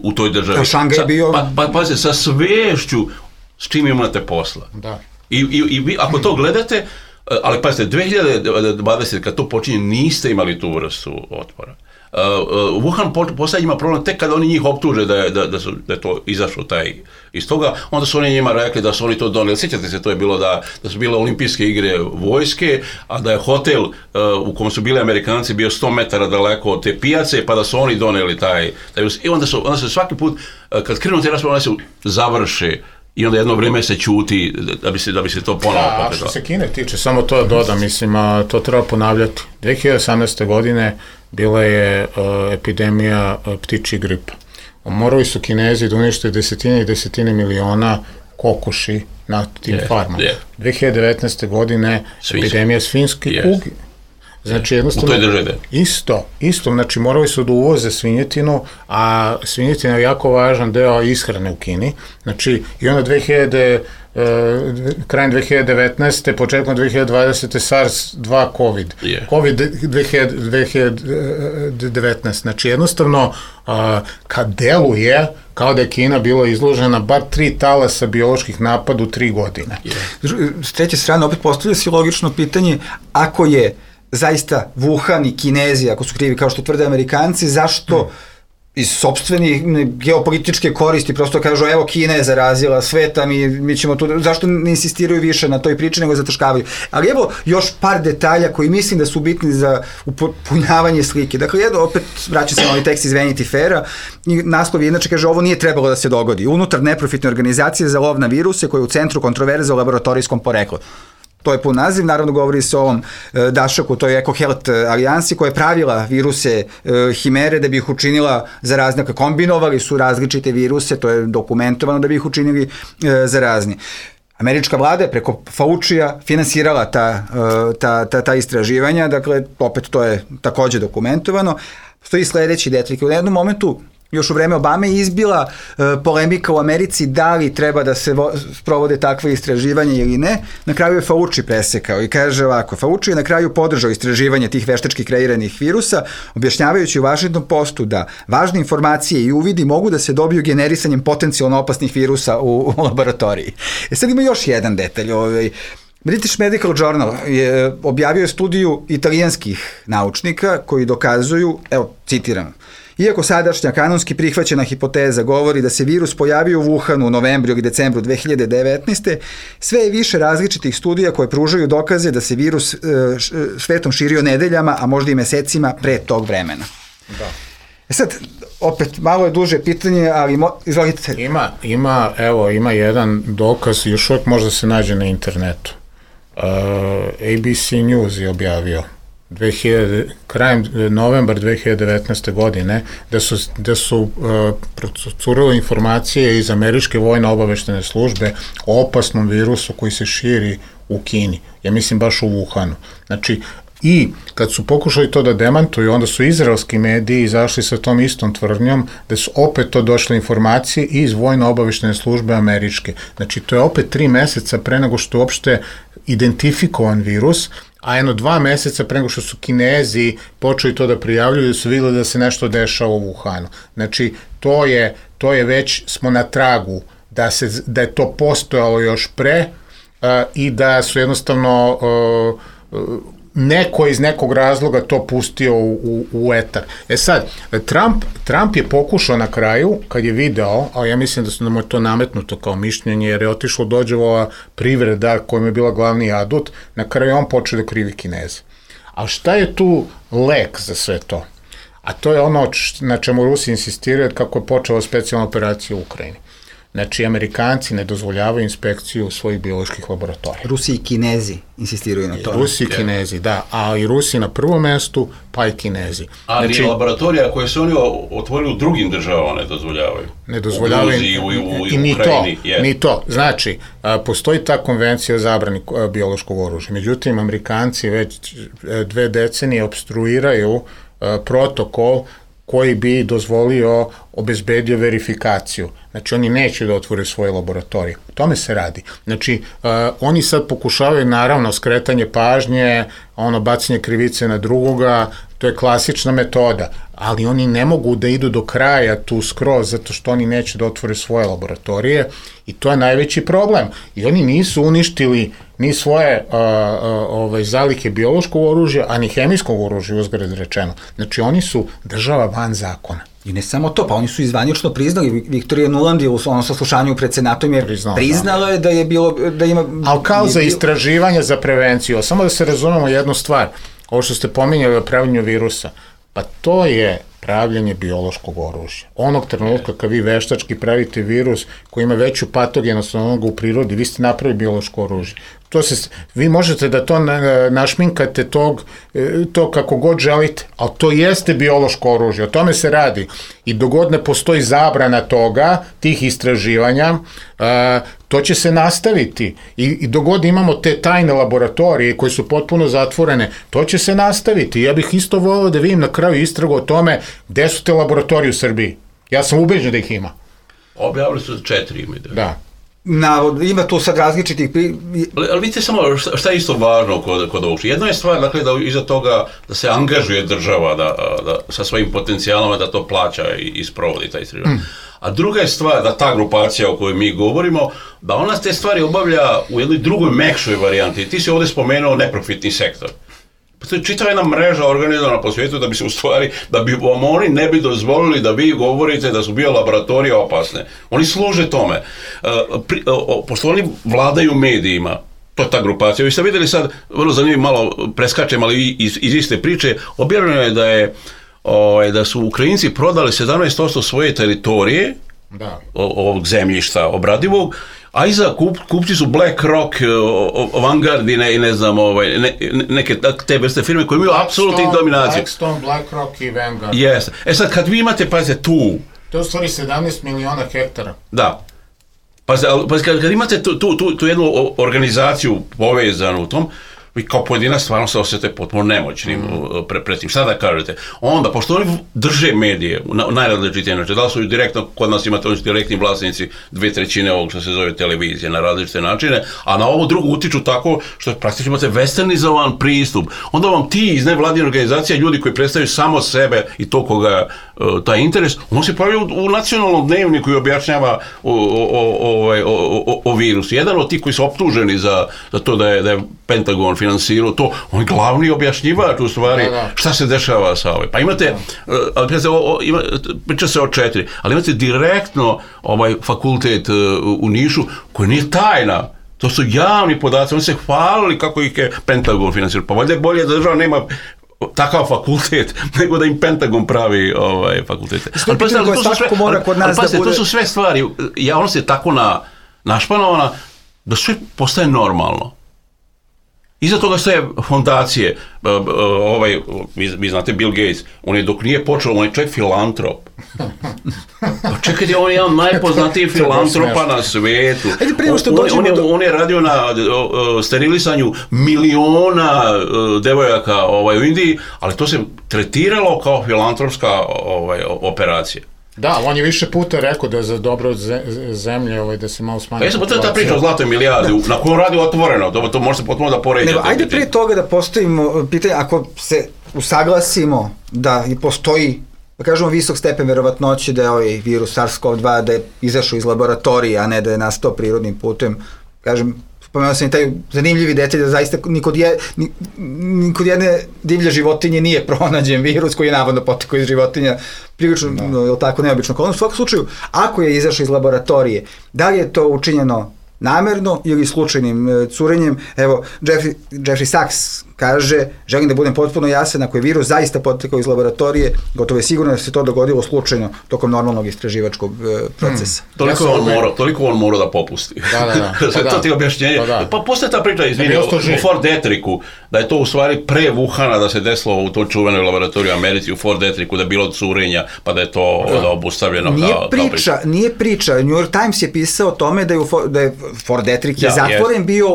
u toj državi. Šangaj je bio... Pazite, sa svešću s čim imate posla. Da. I vi, ako to gledate, ali pazite, 2020, kad to počinje, niste imali tu vrstu otpora. Wuhan poslije ima problem tek kada oni njih optuže da je to izašlo iz toga, onda su oni njima rekli da su oni to doneli. Sjećate se, to je bilo da su bile olimpijske igre vojske, a da je hotel u kom su bili Amerikanci bio 100 metara daleko od te pijace, pa da su oni doneli taj i onda se svaki put, kad krenu te rasprave, se završe i onda jedno vrijeme se ćuti da bi se to ponovo potrebalo. A što se Kine tiče, samo to dodam, mislim, to treba ponavljati. 2018. godine bila je epidemija ptičji gripa. Morali su Kinezi da unište desetine i desetine miliona kokoši na tim farmama. 2019. godine epidemija svinjske kuge. Znači, jednostavno, isto, znači morali su da uvoze svinjetinu, a svinjetina je jako važan deo ishrane u Kini. Znači, i onda krajem 2019. početkom 2020. SARS-2 COVID. COVID 2019. Znači, jednostavno, kad deluje, kao da je Kina bila izložena bar 3 talasa bioloških napada u 3 godine. S treće strane, opet postavlja se logično pitanje, ako je zaista Wuhan i Kinezi, ako su krivi kao što tvrde Amerikanci, zašto iz sopstveni geopolitičke koristi prosto kažu evo Kina je zarazila sveta, mi ćemo tu, zašto ne insistiraju više na toj priči nego zataškavaju. Ali evo još par detalja koji mislim da su bitni za upunjavanje slike. Dakle, opet vraća se na ovaj tekst iz Vanity Faira i naslov je inače kaže ovo nije trebalo da se dogodi. Unutar neprofitne organizacije za lov na viruse koja je u centru kontroverze o laboratorijskom poreklu. To je pun naziv, naravno govori se o ovom dašaku, to je EcoHealth alijansi koja je pravila viruse himere da bi ih učinila zarazni, kombinovali su različite viruse, to je dokumentovano da bi ih učinili zarazni. Američka vlada je preko Faucija finansirala ta istraživanja, dakle, opet to je takođe dokumentovano. Stoji sledeći detalj, u jednom momentu još u vreme Obame izbila polemika u Americi da li treba da se sprovode takve istraživanja ili ne. Na kraju je Fauci presekao i kaže ovako, Fauci je na kraju podržao istraživanje tih veštački kreiranih virusa, objašnjavajući u Washington Postu da važne informacije i uvidi mogu da se dobiju generisanjem potencijalno opasnih virusa u laboratoriji. Sad ima još jedan detalj. British Medical Journal objavio studiju italijanskih naučnika koji dokazuju, evo citiram, Iako sadašnja kanonski prihvaćena hipoteza govori da se virus pojavio u Wuhanu u novembru i decembru 2019. sve je više različitih studija koje pružaju dokaze da se virus svetom širio nedeljama, a možda i mesecima pre tog vremena. Da. Sad, opet, malo je duže pitanje, ali izvolite. Ima jedan dokaz, još uvijek možda se nađe na internetu. ABC News je objavio krajem novembar 2019. godine da su procurile informacije iz američke vojno-obaveštene službe o opasnom virusu koji se širi u Kini. Ja mislim baš u Wuhanu. Znači, i kad su pokušali to da demantuju, onda su izraelski mediji izašli sa tom istom tvrdnjom da su opet to došle informacije iz vojno-obaveštene službe američke. Znači, to je opet 3 meseca pre nego što je uopšte identifikovan virus, a 2 meseca pre nego što su Kinezi počeli to da prijavljuju, da su vidjeli da se nešto dešava u Wuhanu. Znači, to je već, smo na tragu da je to postojalo još pre i da su jednostavno neko iz nekog razloga to pustio u etar. Sad, Trump je pokušao na kraju, kad je video, a ja mislim da mu je to nametnuto kao mišljenje, jer je otišlo Dodgeova privreda kojom je bila glavni adut, na kraju on počeo da krivi Kineze. A šta je tu lek za sve to? A to je ono na čemu Rusi insistiraju kako je počela specijalna operacija u Ukrajini. Znači, Amerikanci ne dozvoljavaju inspekciju svojih bioloških laboratorija. Rusi i Kinezi insistiraju na to. Rusi i Kinezi, da, a i Rusi na prvom mestu, pa i Kinezi. Ali znači, laboratorija koje su oni otvorili u drugim državama ne dozvoljavaju. Ne dozvoljavaju. U Gruziji, u Ukrajini. Ni to. Znači, postoji ta konvencija o zabrani biološkog oružja. Međutim, Amerikanci već 2 decenije opstruiraju protokol koji bi dozvolio, obezbedio verifikaciju. Znači, oni neće da otvore svoje laboratorije. O tome se radi. Znači, oni sad pokušavaju, naravno, skretanje pažnje, bacanje krivice na drugoga, to je klasična metoda, ali oni ne mogu da idu do kraja tu skroz, zato što oni neće da otvore svoje laboratorije i to je najveći problem. I oni nisu uništili ni svoje zalihe biološkog oružja, a ni hemijskog oružja, uzgred rečeno. Znači, oni su država van zakona. I ne samo to, pa oni su izvanično priznali, Viktorija Nuland je u onom saslušanju pred Senatom je priznala je da je bilo, da ima... Ali kao za istraživanje, za prevenciju, samo da se razumemo jednu stvar, ovo što ste pominjali o pravljenju virusa, pa to je pravljanje biološkog oružja. Onog trenutka kad vi veštački pravite virus koji ima veću patogenost od onoga u prirodi, vi ste napravili biološko oružje. Vi možete da to našminkate to kako god želite, ali to jeste biološko oružje, o tome se radi. I dogod ne postoji zabrana toga, tih istraživanja, to će se nastaviti. I dogod imamo te tajne laboratorije koje su potpuno zatvorene, to će se nastaviti. Ja bih isto volio da vidim na kraju istragu o tome gde su te laboratorije u Srbiji. Ja sam ubeđen da ih ima. Objavili su 4 ime. Da. Ima tu sad različitih... Ali vidite samo šta je isto važno kod ovog. Jedna je stvar, dakle, da iza toga da se angažuje država da sa svojim potencijalama da to plaća i sprovodi taj istraživanje. A druga je stvar da ta grupacija o kojoj mi govorimo, da ona te stvari obavlja u jednoj drugoj mekšoj varijanti. Ti si ovdje spomenuo neprofitni sektor. To je čitava jedna mreža organizovana po svijetu da bi se u stvari, da bi vam oni ne bi dozvolili da vi govorite da su biolaboratorije opasne. Oni služe tome. Pošto oni vladaju medijima, to je ta grupacija. Vi ste vidjeli sad, vrlo zanimljivo, malo preskačem, ali iz iste priče, objavljeno je da su Ukrajinci prodali 17% svoje teritorije, ovog zemljišta obradivog, a iza kupci su BlackRock, Vanguard i ne znam, neke te vrste firme koje imaju apsolutnu dominaciju. Blackstone, BlackRock i Vanguard. Jeste. sad kad vi imate, pazite, tu... To je u stvari 17 miliona hektara. Da. Pazite, kad imate tu jednu organizaciju povezanu u tom, vi kao pojedinac stvarno se osjete potpuno nemoćnim pred tim. Šta da kažete? Onda, pošto oni drže medije na najrazličitije načine, da li su direktno, kod nas imate oni su direktni vlasnici 2/3 ovog što se zove televizije na različite načine, a na ovo drugo utiču tako što praktično imate westernizovan pristup. Onda vam ti iz nevladine organizacije, ljudi koji predstavljaju samo sebe i to koga taj interes, on se pojavio u nacionalnom dnevniku i objašnjava o virusu. Jedan od tih koji su optuženi za to da je Pentagon finansirao to, on je glavni objašnjivač u stvari šta se dešava sa Pa imate, priča se o 4, ali imate direktno fakultet u Nišu koji nije tajna. To su javni podaci, oni se hvalili kako ih je Pentagon finansirao. Pa valjda je bolje da država nema takav fakultet, nego da im Pentagon pravi fakultete. Ali to su sve stvari, javnost je tako našpanovana da sve postaje normalno. Iza toga stoje fondacije, vi znate Bill Gates, on je dok nije počeo, on je čovjek filantrop. Pa čekajte, on je jedan najpoznatijih filantropa na svetu. On je radio na sterilisanju miliona devojaka u Indiji, ali to se tretiralo kao filantropska operacija. Da, on je više puta rekao da je za dobro zemlje da se malo smanji. Jesam, to je ta priča o zlatoj milijardi, na kojoj on radi otvoreno, to može se potpuno da poređa. Ajde prije toga da postavimo pitanje, ako se usaglasimo da postoji, da kažemo, visok stepen verovatnoće da je ovaj virus SARS-CoV-2 da je izašao iz laboratorije, a ne da je nastao prirodnim putem, kažem, spomenuo sam i taj zanimljivi detalj da zaista nikod jedne divlje životinje nije pronađen virus koji je navodno potekao iz životinja, prilično, tako, neobično okolnost. U svakom slučaju, ako je izašao iz laboratorije, da li je to učinjeno namerno ili slučajnim curenjem? Evo, Jeffrey Sachs kaže, želim da budem potpuno jasan, ako je virus zaista potekao iz laboratorije, gotovo je sigurno da se to dogodilo slučajno tokom normalnog istraživačkog procesa. Toliko on mora da popusti. To ti objašnjenje. Pa postoje ta priča, izvini, u Fort Detricku, da je to u stvari pre Wuhana da se desilo u toj čuvenoj laboratoriji u Americi, u Fort Detricku, da je bilo curenja, pa da je to obustavljeno. Nije priča. New York Times je pisao o tome da je Fort Detrick je zatvoren bio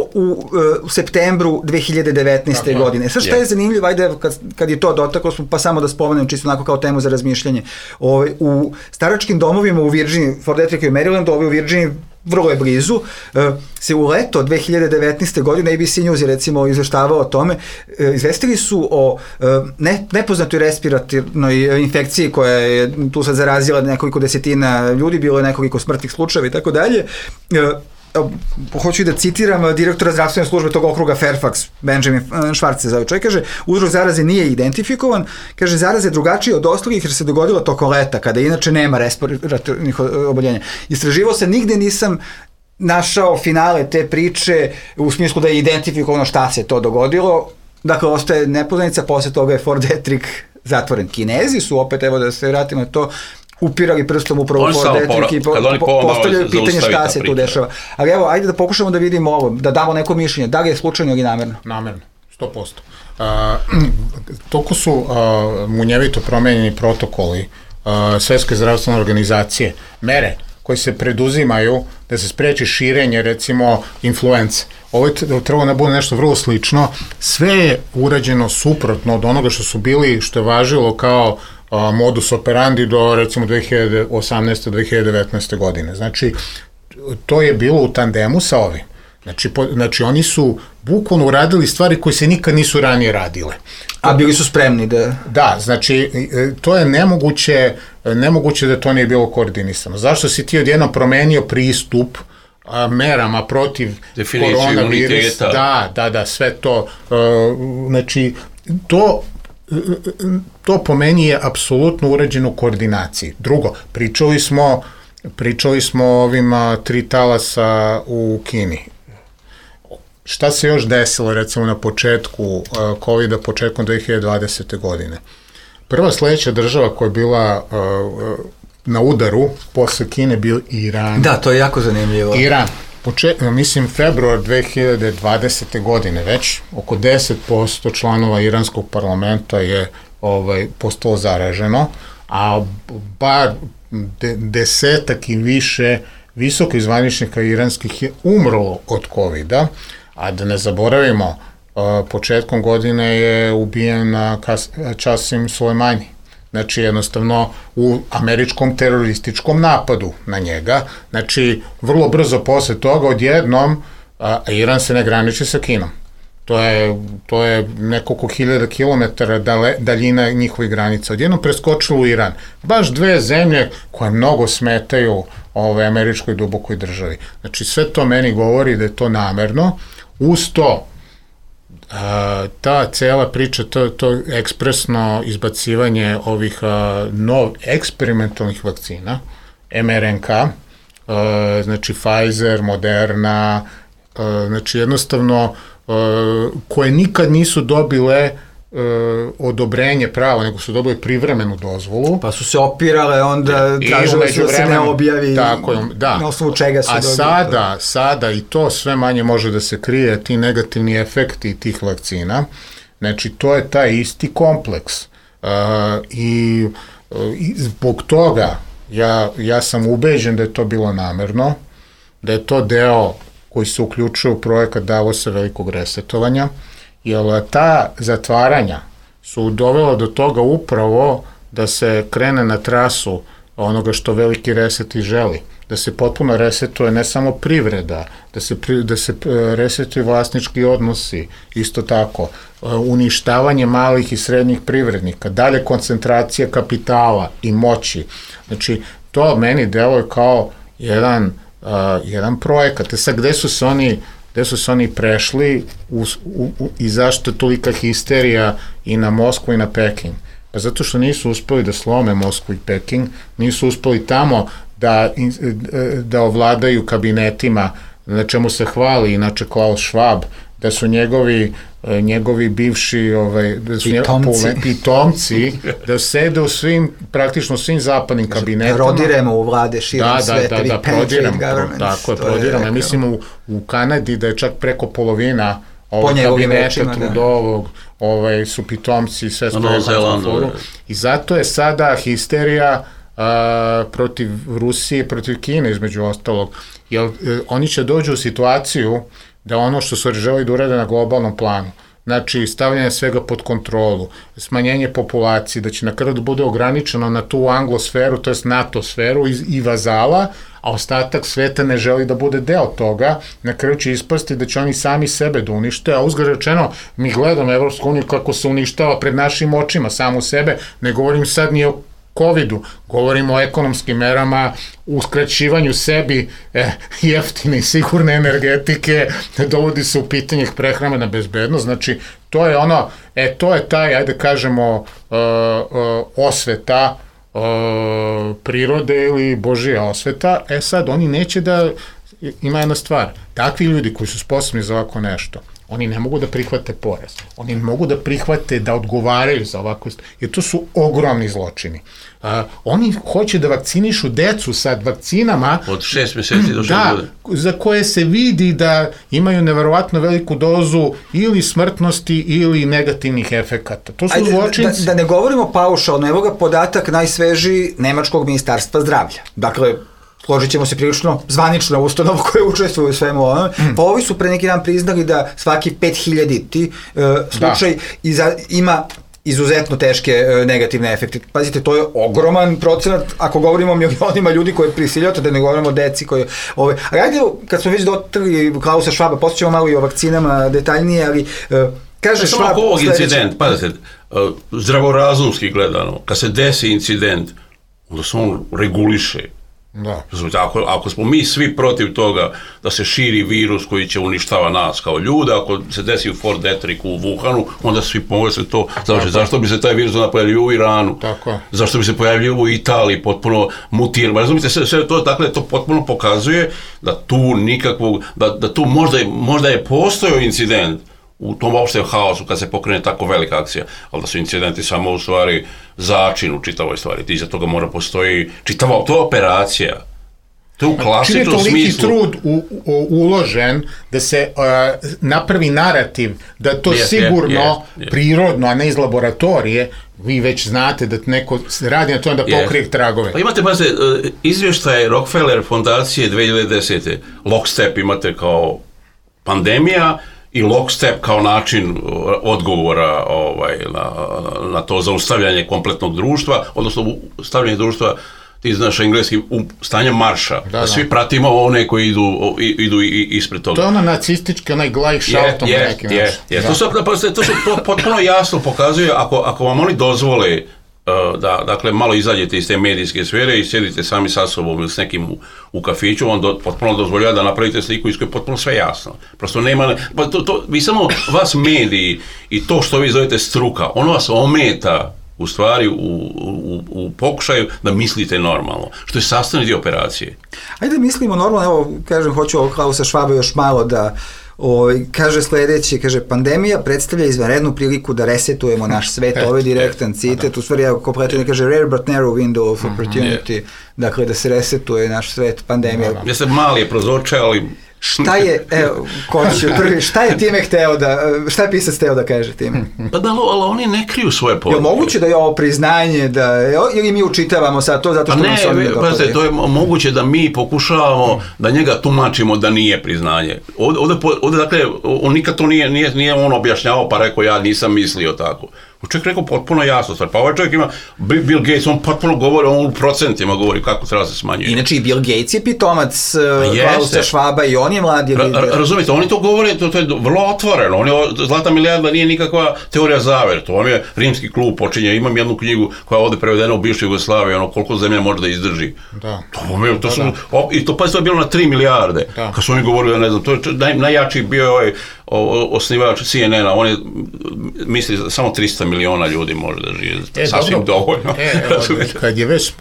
u septembru 2019. godine. Sad šta je zanimljivo, ajde kad je to dotaklo smo, pa samo da spomenem čisto onako kao temu za razmišljanje. U staračkim domovima u Virginiji, Fort Detrick i Maryland, u Virginiji vrlo je blizu, se u leto 2019. godine ABC News je recimo izveštavao o tome, izvestili su o nepoznatoj respiratornoj infekciji koja je tu sad zarazila nekoliko desetina ljudi, bilo je nekoliko smrtnih slučajeva i tako dalje. Hoću da citiram direktora zdravstvene službe tog okruga Fairfax, Benjamin Schwartz se zove čovjek, kaže, uzrok zaraze nije identifikovan, kaže, zaraze je drugačije od ostalih jer se dogodilo tokom leta, kada inače nema respiratornih oboljenja. Istraživao se, nigde nisam našao finale te priče u smislu da je identifikovano šta se to dogodilo, dakle, ostaje nepoznanica, posle toga je Fort Detrick zatvoren. Kinezi su, opet, evo da se vratimo na to, upirali prstom upravo Fort Detrick i postavljaju pitanje šta se tu dešava. Ali evo, ajde da pokušamo da vidimo ovo, da damo neko mišljenje, da li je slučajno ili namerno? Namerno, 100%. Toliko su munjevito promenjeni protokoli Svetske zdravstvene organizacije, mere koje se preduzimaju da se spreči širenje, recimo, influence. Ovo je trebalo da bude nešto vrlo slično. Sve je urađeno suprotno od onoga što su bili, što je važilo kao modus operandi do, recimo, 2018. 2019. godine. Znači, to je bilo u tandemu sa ovim. Znači, oni su bukvalno uradili stvari koje se nikad nisu ranije radile. A bili su spremni da... Da, znači, to je nemoguće da to nije bilo koordinisano. Zašto si ti odjednom promenio pristup merama protiv koronavirusa? Da, sve to. Znači, to po meni je apsolutno urađeno u koordinaciji. Drugo, pričali smo o ovim 3 talasa u Kini. Šta se još desilo, recimo, na početku COVID-a, početkom 2020. godine? Prva sledeća država koja je bila na udaru posle Kine bio Iran. Da, to je jako zanimljivo. Iran. Mislim, februar 2020. godine već oko 10% članova iranskog parlamenta je postalo zaraženo, a bar 10 i više visoko zvaničnika iranskih je umrlo od COVID-a, a da ne zaboravimo, početkom godine je ubijen Qasim Soleimani. Znači, jednostavno, u američkom terorističkom napadu na njega. Znači, vrlo brzo posle toga, odjednom, Iran se ne graniči sa Kinom. To je nekoliko hiljada kilometara daljina njihovih granica. Odjednom preskočilo u Iran. Baš dve zemlje koje mnogo smetaju američkoj dubokoj državi. Znači, sve to meni govori da je to namerno. Uz to, ta cela priča, to ekspresno izbacivanje ovih eksperimentalnih vakcina, mRNK, znači Pfizer, Moderna, znači jednostavno koje nikad nisu dobile odobrenje pravo, nego su dobili privremenu dozvolu. Pa su se opirale, onda tražile su da se ne objavi na osnovu čega su dobili. A sada i to sve manje može da se krije, ti negativni efekti tih vakcina. Znači, to je taj isti kompleks. I zbog toga ja sam ubeđen da je to bilo namerno, da je to deo koji se uključuje u projekat Davosa velikog resetovanja, jer ta zatvaranja su dovela do toga upravo da se krene na trasu onoga što veliki reset i želi, da se potpuno resetuje ne samo privreda, da se resetuju vlasnički odnosi, isto tako, uništavanje malih i srednjih privrednika, dalje koncentracija kapitala i moći. Znači, to meni deluje kao jedan projekat. Sad, gde su se oni prešli i zašto je tolika histerija i na Moskvu i na Peking? Pa zato što nisu uspeli da slome Moskvu i Peking, nisu uspeli tamo da ovladaju kabinetima, na čemu se hvali inače Klaus Schwab, da su njegovi bivši pitomci, da sede u praktično svim zapadnim kabinetima. Prodiremo u vlade širom sveta. Da, prodiremo. Mislim u Kanadi da je čak preko polovina kabineta Trudovog su pitomci i sve stoje u foru. I zato je sada histerija protiv Rusije, protiv Kine između ostalog. Jer oni će dođu u situaciju da ono što su želi da urade na globalnom planu, znači stavljanje svega pod kontrolu, smanjenje populacije, da će na kraju da bude ograničeno na tu anglosferu, to jest NATO sferu i vazala, a ostatak sveta ne želi da bude deo toga, na kraju će ispasti da će oni sami sebe da unište, a uzgled rečeno, mi gledamo Evropsku uniju kako se uništava pred našim očima, samu sebe, ne govorim sad ni o COVID-u, govorimo o ekonomskim merama, uskraćivanju sebi jeftine i sigurne energetike, dovodi se u pitanje prehrambena bezbednost, znači to je ono, to je taj, ajde kažemo, osveta prirode ili Božija osveta, sad oni neće da, ima jedna stvar, takvi ljudi koji su sposobni za ovako nešto, oni ne mogu da prihvate porez. Oni ne mogu da prihvate da odgovaraju za ovako, jer to su ogromni zločini. Oni hoće da vakcinišu decu sad vakcinama od 6 meseci do 6 godina. Za koje se vidi da imaju neverovatno veliku dozu ili smrtnosti ili negativnih efekata. To su zločinci. Da ne govorimo paušalno, evo ga podatak najsvežiji Nemačkog ministarstva zdravlja. Dakle, složit ćemo se prilično zvanično ustanovu koje učestvuju u svemu ovome, pa ovi su pre neki dan priznali da svaki 5000 slučaj ima izuzetno teške negativne efekte. Pazite, to je ogroman procenat, ako govorimo o milionima ljudi koje prisiljate, da ne govorimo o deci koje... A ajde, kad smo već dotrli Klausa Schwaba, poslije ćemo malo i o vakcinama detaljnije, ali kaže Schwab... Samo ovog incident, pazite, zdravorazumski gledano, kad se desi incident, onda se on reguliše. Da. Ako smo mi svi protiv toga da se širi virus koji će uništava nas kao ljuda, ako se desi u Fort Detricku u Wuhanu, onda svi pomogu se to, zašto bi se taj virus pojavio u Iranu, zašto bi se pojavio u Italiji, potpuno mutirano, razumite, sve to, dakle, to potpuno pokazuje da tu nikakvog, da tu možda je postojao incident u tom uopšte haosu kad se pokrene tako velika akcija, ali da su incidenti samo u stvari začin u čitavoj stvari. Iza toga mora postoji čitava, to je operacija. To je u klasičnom smislu. Čini je toliki trud uložen da se napravi narativ da to sigurno prirodno, a ne iz laboratorije, vi već znate da neko radi na to da pokrije tragove. Pa imate, izvještaje Rockefeller fondacije 2010. Lockstep imate kao pandemija, i lockstep kao način odgovora na to zaustavljanje kompletnog društva, odnosno stavljanje društva ti znaš engleski, stanje marša, da svi pratimo one koji idu ispred toga. To je ono nacistički, onaj glajk šaltom neki način. To su potpuno jasno pokazuje, ako vam oni dozvole da, dakle, malo izađete iz te medijske sfere i sjedite sami sa sobom ili s nekim u kafiću, on potpuno dozvoljava da napravite sliku iz koje je potpuno sve jasno. Prosto nema, vi samo, vas mediji i to što vi zovete struka, ono vas ometa u stvari u pokušaju da mislite normalno, što je sastavni dio operacije. Ajde mislimo normalno, evo, kažem, hoću ovog Klausa Švaba još malo da kaže sledeći, kaže, pandemija predstavlja izvanrednu priliku da resetujemo naš svet, ovo je direktan citat, u stvari, kompletno kaže rare but narrow window of opportunity, dakle, da se resetuje naš svet, pandemija. Jeste mali je prozorče, ali... Šta je, evo, šta je time hteo da, šta je pisac hteo da kaže time? Pa da, ali oni ne kriju svoje poruke. Je moguće da je ovo priznanje, ili mi učitavamo sad to zato što nam se oni ne dopadaju? To je moguće da mi pokušavamo da njega tumačimo da nije priznanje. Ovde dakle, on nikad to nije on objašnjavao pa rekao ja nisam mislio tako. Čovjek rekao potpuno jasno stvar, pa ovaj čovjek ima, Bill Gates, on potpuno govori, on u procentima govori kako treba se smanjuje. Inače i Bill Gates je pitomac Klausa Švaba i on je mladi lider. Razumite, oni to govore, to je vrlo otvoreno, Zlata milijarda nije nikakva teorija zavere, to vam je rimski klub počinje, imam jednu knjigu koja je ovde prevedena u bivšoj Jugoslaviji, koliko zemlja može da izdrži. Da. I to je bilo na 3 milijarde, kad su oni govorili, ne znam, to je najjači bio ovaj osnivač CNN-a, on je misli samo 300 miliona ljudi može da žive, sasvim dovoljno.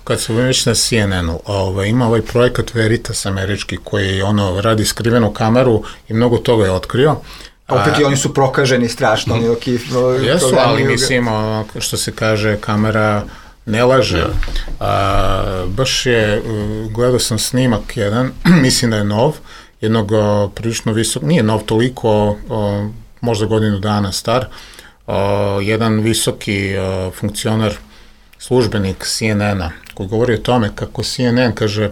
Kad su već na CNN-u, ima ovaj projekat Veritas američki koji radi skrivenu kameru i mnogo toga je otkrio. Opet i oni su prokaženi strašno. Jesu, ali mislim, što se kaže, kamera ne laže. Baš je, gledao sam snimak jedan, mislim da je nov, jednog prilično visok, nije nov toliko, možda godinu dana star, jedan visoki funkcionar, službenik CNN-a, koji govori o tome kako CNN kaže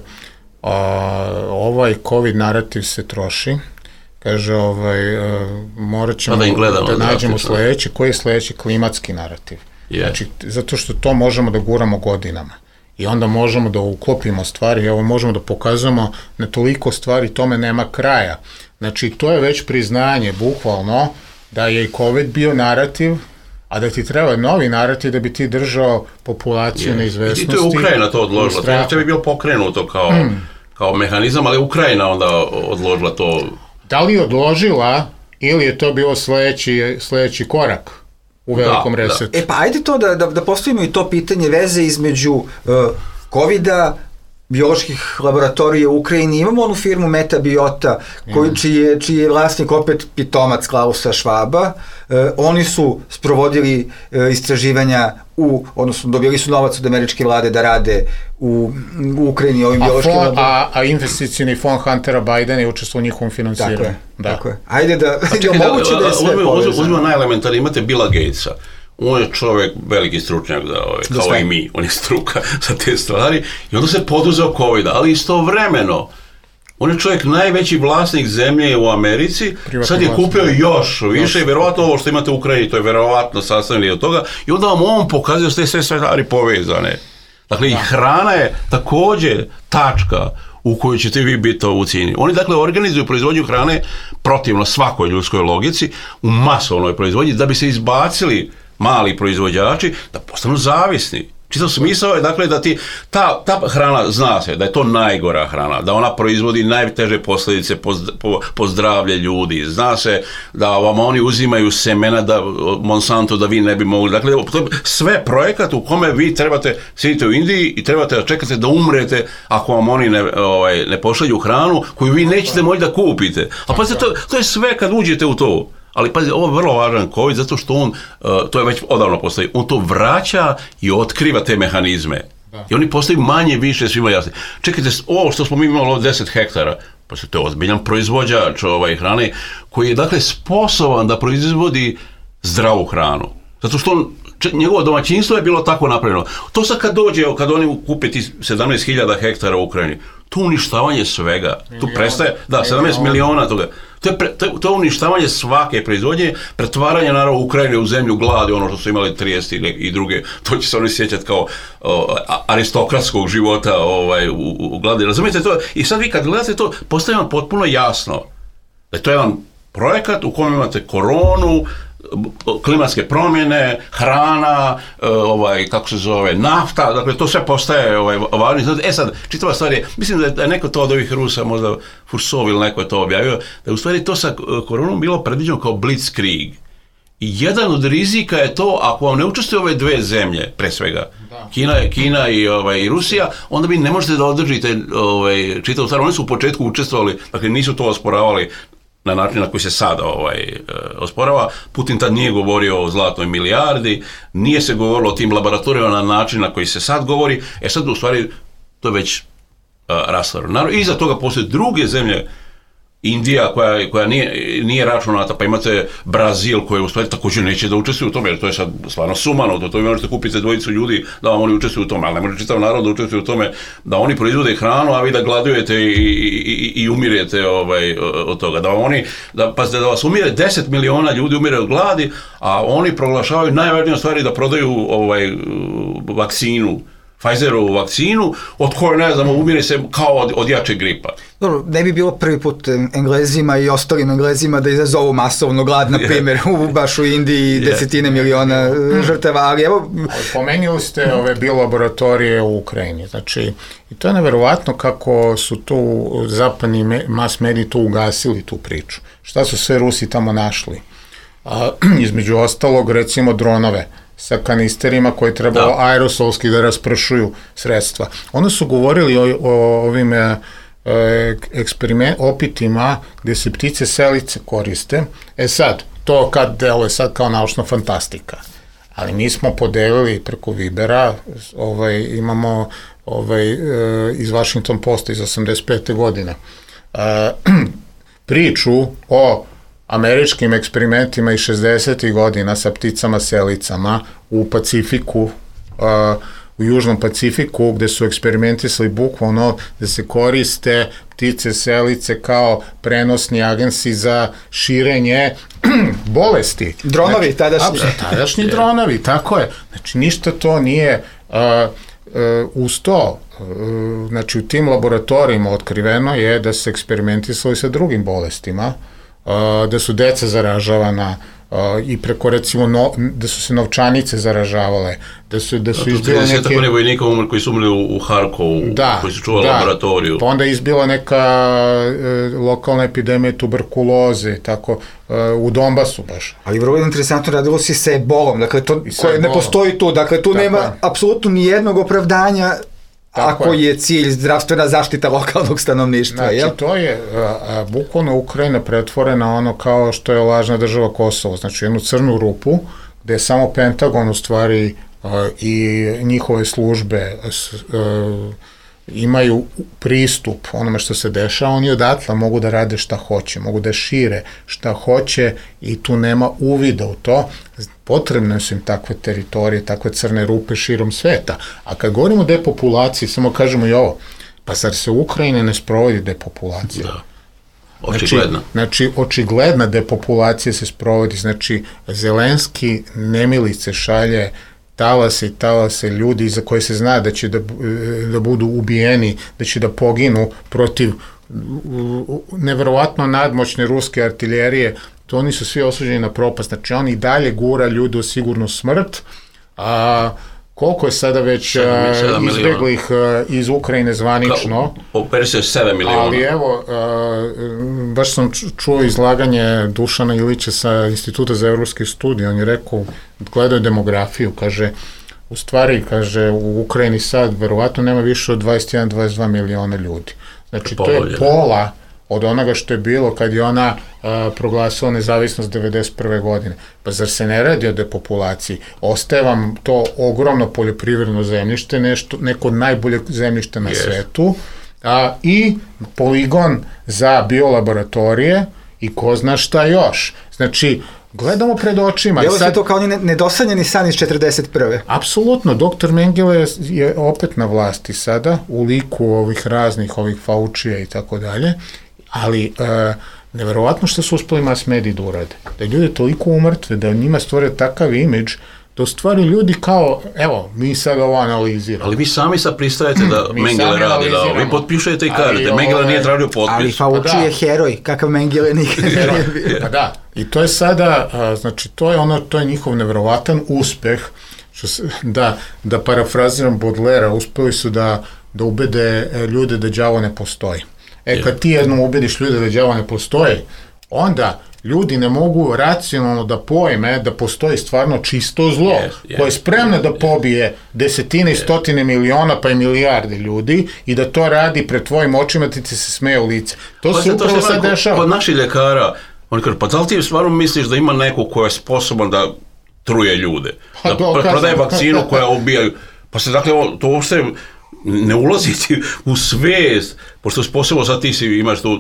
ovaj COVID narativ se troši, kaže morat ćemo da nađemo sledeći, koji je sledeći klimatski narativ. Znači, zato što to možemo da guramo godinama. I onda možemo da uklopimo stvari, evo možemo da pokazujemo na toliko stvari, tome nema kraja. Znači, to je već priznanje, bukvalno, da je i COVID bio narativ, a da ti treba novi narativ da bi ti držao populaciju neizvesnosti. I to je Ukrajina to odložila, to bi bilo pokrenuto kao mehanizam, ali Ukrajina onda odložila to. Da li je odložila ili je to bilo sledeći korak u velikom resetu? Pa ajde to da postavimo i to pitanje veze između COVID-a, bioloških laboratorija u Ukrajini. Imamo onu firmu Metabiota, čiji je vlasnik opet pitomac Klausa Švaba. Oni su sprovodili istraživanja odnosno dobili su novac od američke vlade da rade u Ukrajini ovim biološkim laboratorijama. A investicioni fond Huntera Bidena je učestvovao u njihovom finansiranju. Tako je. Ajde da moguće da je sve povezano. Uzmimo najelementarnije, imate Billa Gatesa. On je čovjek veliki stručnjak, kao i mi, on je struka za te stvari i onda se poduzeo COVID, ali istovremeno on je čovjek najveći vlasnik zemlje u Americi, sad je kupio još više i verovatno ovo što imate u Ukrajini, to je verovatno sastavljeno od toga i onda vam on pokazuje da ste sve stvari povezane. Dakle, i hrana je također tačka u kojoj ćete vi biti u cijeni. Oni dakle organizuju proizvodnju hrane protivno svakoj ljudskoj logici u masovnoj proizvodnji da bi se izbacili mali proizvođači da postanu zavisni. Čisto smisao je dakle da ta hrana zna se da je to najgora hrana, da ona proizvodi najteže posljedice po zdravlje ljudi. Zna se da vam oni uzimaju semena Monsanto da vi ne bi mogli. Dakle, to je sve projekat u kome vi trebate sjedite u Indiji i trebate da čekate da umrete ako vam oni ne pošalju hranu koju vi nećete moći da kupite. A pa to je sve kad uđete u to. Ali pazi, ovo je vrlo važan COVID zato što on, to je već odavno postoji, on to vraća i otkriva te mehanizme. I oni postaju manje više svima jasni. Čekajte, ovo što smo mi imali 10 hektara, pa to je ozbiljan proizvođač hrane koji je dakle sposoban da proizvodi zdravu hranu. Zato što njegovo domaćinstvo je bilo tako napravljeno. To sad kad oni kupe ti 17.000 hektara u Ukrajini, to uništavanje svega, tu prestaje, 17 miliona toga, To je uništavanje svake proizvodnje, pretvaranje naravno Ukrajine u zemlju gladi, ono što su imali 30 i druge, to će se oni sjećati kao aristokratskog života u gladi. Razumijete to? I sad vi kad gledate to, postaje vam potpuno jasno da je to jedan projekat u kojem imate koronu, klimatske promjene, hrana, kako se zove, nafta, dakle to sve postaje važno. Sad, čitava stvar je, mislim da je neko to od ovih Rusa, možda Fursov ili neko je to objavio, da je u stvari to sa koronom bilo predviđeno kao blitzkrieg. I jedan od rizika je to, ako vam ne učestvuju ove dve zemlje, pre svega, Kina i Rusija, onda vi ne možete da održite čitavu stvar. Oni su u početku učestvovali, dakle nisu to osporavali na način na koji se sada osporava. Putin tad nije govorio o zlatnoj milijardi, nije se govorilo o tim laboratorijama na način na koji se sad govori. Sad u stvari to je već rastvarno. Naravno, iza toga postoje druge zemlje, Indija koja nije računata, pa imate Brazil koji u stvari također neće da učestvuju u tome, jer to je sad stvarno sumano, to vi možete kupiti dvojicu ljudi da vam oni učestvuju u tome, ali ne može čitav narod da učestvuju u tome da oni proizvode hranu, a vi da gladujete i umirete od toga. Da vas umire 10 miliona ljudi umire od gladi, a oni proglašavaju najvažnije stvari da prodaju vakcinu, Pfizerovu vakcinu, od koje, ne znamo, umire se kao od jačeg gripa. Dobro, ne bi bilo prvi put Englezima i ostalim Englezima da izazovu masovno glad, na primjer, baš u Indiji desetine miliona žrtava, ali evo... Pomenuli ste ove biolaboratorije u Ukrajini, znači, i to je neverovatno kako su tu zapadni mass mediji tu ugasili tu priču. Šta su sve Rusi tamo našli? Između ostalog, recimo, dronove sa kanisterima koji trebalo aerosolski da raspršuju sredstva. Oni su govorili o ovim opitima gde se ptice selice koriste. Sad, to kad deluje sad kao naučna fantastika. Ali mi smo podelili preko Vibera, imamo iz Washington Posta iz 85. godine priču o američkim eksperimentima iz 60. godina sa pticama selicama u Pacifiku, u Južnom Pacifiku, gde su eksperimentisali bukvalno da se koriste ptice selice kao prenosni agensi za širenje bolesti. Dronovi tadašnji. Tadašnji dronovi, tako je. Znači, ništa to nije uz to. Znači, u tim laboratorijima otkriveno je da se eksperimentisali sa drugim bolestima, da su deca zaražavana i preko, recimo, da su se novčanice zaražavale, da su izbile neke... 30 vojnika koji su umrli u Harkovu, koji su čuvali laboratoriju. Pa onda je izbila neka lokalna epidemija tuberkuloze, tako, u Donbasu baš. Ali vrlo interesantno, radilo se sa ebolom, dakle, to koje ne postoji tu, dakle, tu nema apsolutno nijednog opravdanja ako je cilj zdravstvena zaštita lokalnog stanovništva. Znači, to je bukvalno Ukrajina pretvorena ono kao što je lažna država Kosovo, znači jednu crnu rupu gde je samo Pentagon u stvari i njihove službe imaju pristup onome što se dešava, oni odatle mogu da rade šta hoće, mogu da šire šta hoće i tu nema uvida u to. Potrebne su im takve teritorije, takve crne rupe širom sveta. A kad govorimo o depopulaciji, samo kažemo i ovo, pa zar se u Ukrajini ne sprovodi depopulacija? Da, očigledna. Znači, očigledna depopulacija se sprovodi, znači, Zelenski nemilice šalje talase i talase ljudi za koje se zna da će da budu ubijeni, da će da poginu protiv neverovatno nadmoćne ruske artiljerije, to oni su svi osuđeni na propast, znači on i dalje gura ljude u sigurnu smrt, a koliko je sada već izbeglih iz Ukrajine zvanično? Operi se 7 miliona. Ali evo, baš sam čuo izlaganje Dušana Ilića sa Instituta za evropske studije, on je rekao, gledao demografiju, kaže, u stvari, kaže, u Ukrajini sad verovatno nema više od 21-22 miliona ljudi. Znači, to je pola od onoga što je bilo kad je ona proglasila nezavisnost 1991. godine. Pa zar se ne radi o depopulaciji? Ostaje vam to ogromno poljoprivredno zemljište, neko od najboljeg zemljišta na svetu, i poligon za biolaboratorije i ko zna šta još. Znači, gledamo pred očima. Bilo se to kao nedosanjeni san iz 1941. Apsolutno, doktor Mengele je opet na vlasti sada, u liku ovih raznih, ovih Faučija i tako dalje, ali neverovatno što su uspeli mass mediji da urade. Da ljude toliko umrtve, da njima stvore takav imidž, da u stvari ljudi kao, evo, mi sad ovo analiziramo. Ali vi sami sad pristajete da Mengele radi, da vi potpišete i kažete, Mengele nije tražio potpis. Ali Fauci je heroj, kakav Mengele nikad nije bio. Pa da, i to je sada, znači, to je njihov neverovatan uspeh, da parafraziram Baudelaire, uspeli su da ubede ljude da đavo ne postoji. Kad ti jednom ubediš ljude da đavo ne postoji, onda ljudi ne mogu racionalno da pojme da postoji stvarno čisto zlo, koje je spremno da pobije desetine i stotine miliona pa i milijarde ljudi i da to radi pred tvojim očima, ti se smeje u lice. To se upravo sad dešava. Kod naših ljekara, oni kažu, pa da li ti stvarno misliš da ima neko ko je sposoban da truje ljude, da prodaje vakcinu koja ubijaju, pa se dakle, to uopšte ne ulaziti u svijest, pošto posebno sad ti imaš tu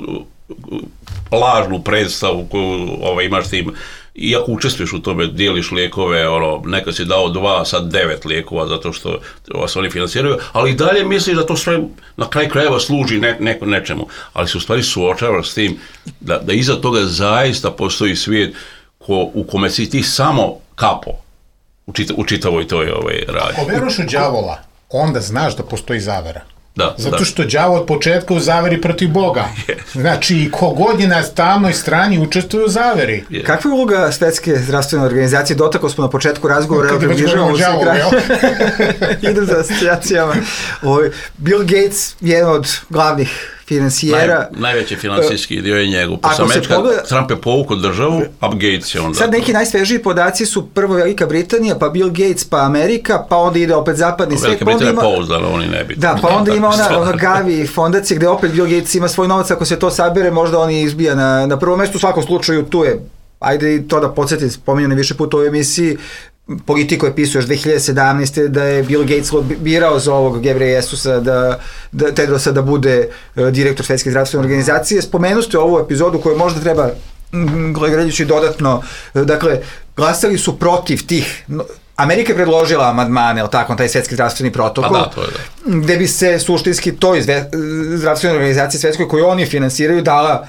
lažnu predstavu koju imaš tim, iako učestvuješ u tome, dijeliš lijekove, nekad si dao 2, sad 9 lijekova zato što vas oni finansiraju, ali i dalje misliš da to sve na kraj krajeva služi nečemu, ali se u stvari suočavaš s tim da iza toga zaista postoji svijet u kome si ti samo kapo u čitavoj toj radnji. Ako veruješ u đavola, onda znaš da postoji zavera. Da, zato što đavo od početka u zaveri protiv Boga. Znači, kogod je na tamnoj strani učestvuje u zaveri. Kakva je uloga Svetske zdravstvene organizacije? Dotakli smo na početku razgovora. Kad već govorimo o đavovu, jel? Idem za asocijacijama. Bill Gates je jedan od glavnih finansijera. Najveći finansijski dio je njegov. Trump je povukao državu, a Gates je onda... Sad neki najsvežiji podaci su prvo Velika Britanija, pa Bill Gates, pa Amerika, pa onda ide opet zapadni svijet. Velika Britanija je pouzdana, oni ne bi. Da, pa onda ima ona Gavi fondacija gde opet Bill Gates ima svoj novac, ako se to sabere, možda on izbija na prvom mestu, u svakom slučaju tu je, ajde i to da podsjetim, spominjano više puta u ovoj emisiji, Politiko je pisao još 2017. da je Bill Gates birao za ovog Gebreyesusa Tedrosa da bude direktor Svetske zdravstvene organizacije. Spomenuste ovu epizodu koju možda treba gledajući dodatno, dakle, glasali su protiv tih, Amerika je predložila amandmane, taj Svetski zdravstveni protokol, gde bi se suštinski toj zdravstvenoj organizaciji svetskoj koju oni finansiraju dala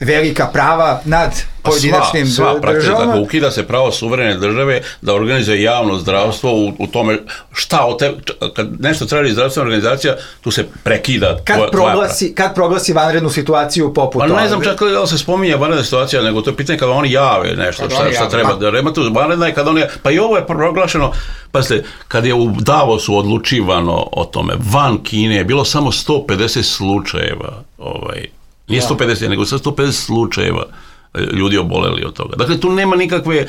velika prava nad pojedinačnim državama. Dakle, ukida se pravo suverene države da organizuje javno zdravstvo u tome kad nešto traži zdravstvena organizacija, tu se prekida Kad proglasi vanrednu situaciju poput toga? Ne znam čak da se spominje vanredna situacija, nego to je pitanje kada oni jave nešto, šta treba da rema tu vanredna je kada oni, pa i ovo je proglašeno, pazite, kad je u Davosu odlučivano o tome, van Kine je bilo samo 150 slučajeva, nije 150, nego 150 slučajeva ljudi oboleli od toga. Dakle, tu nema nikakve,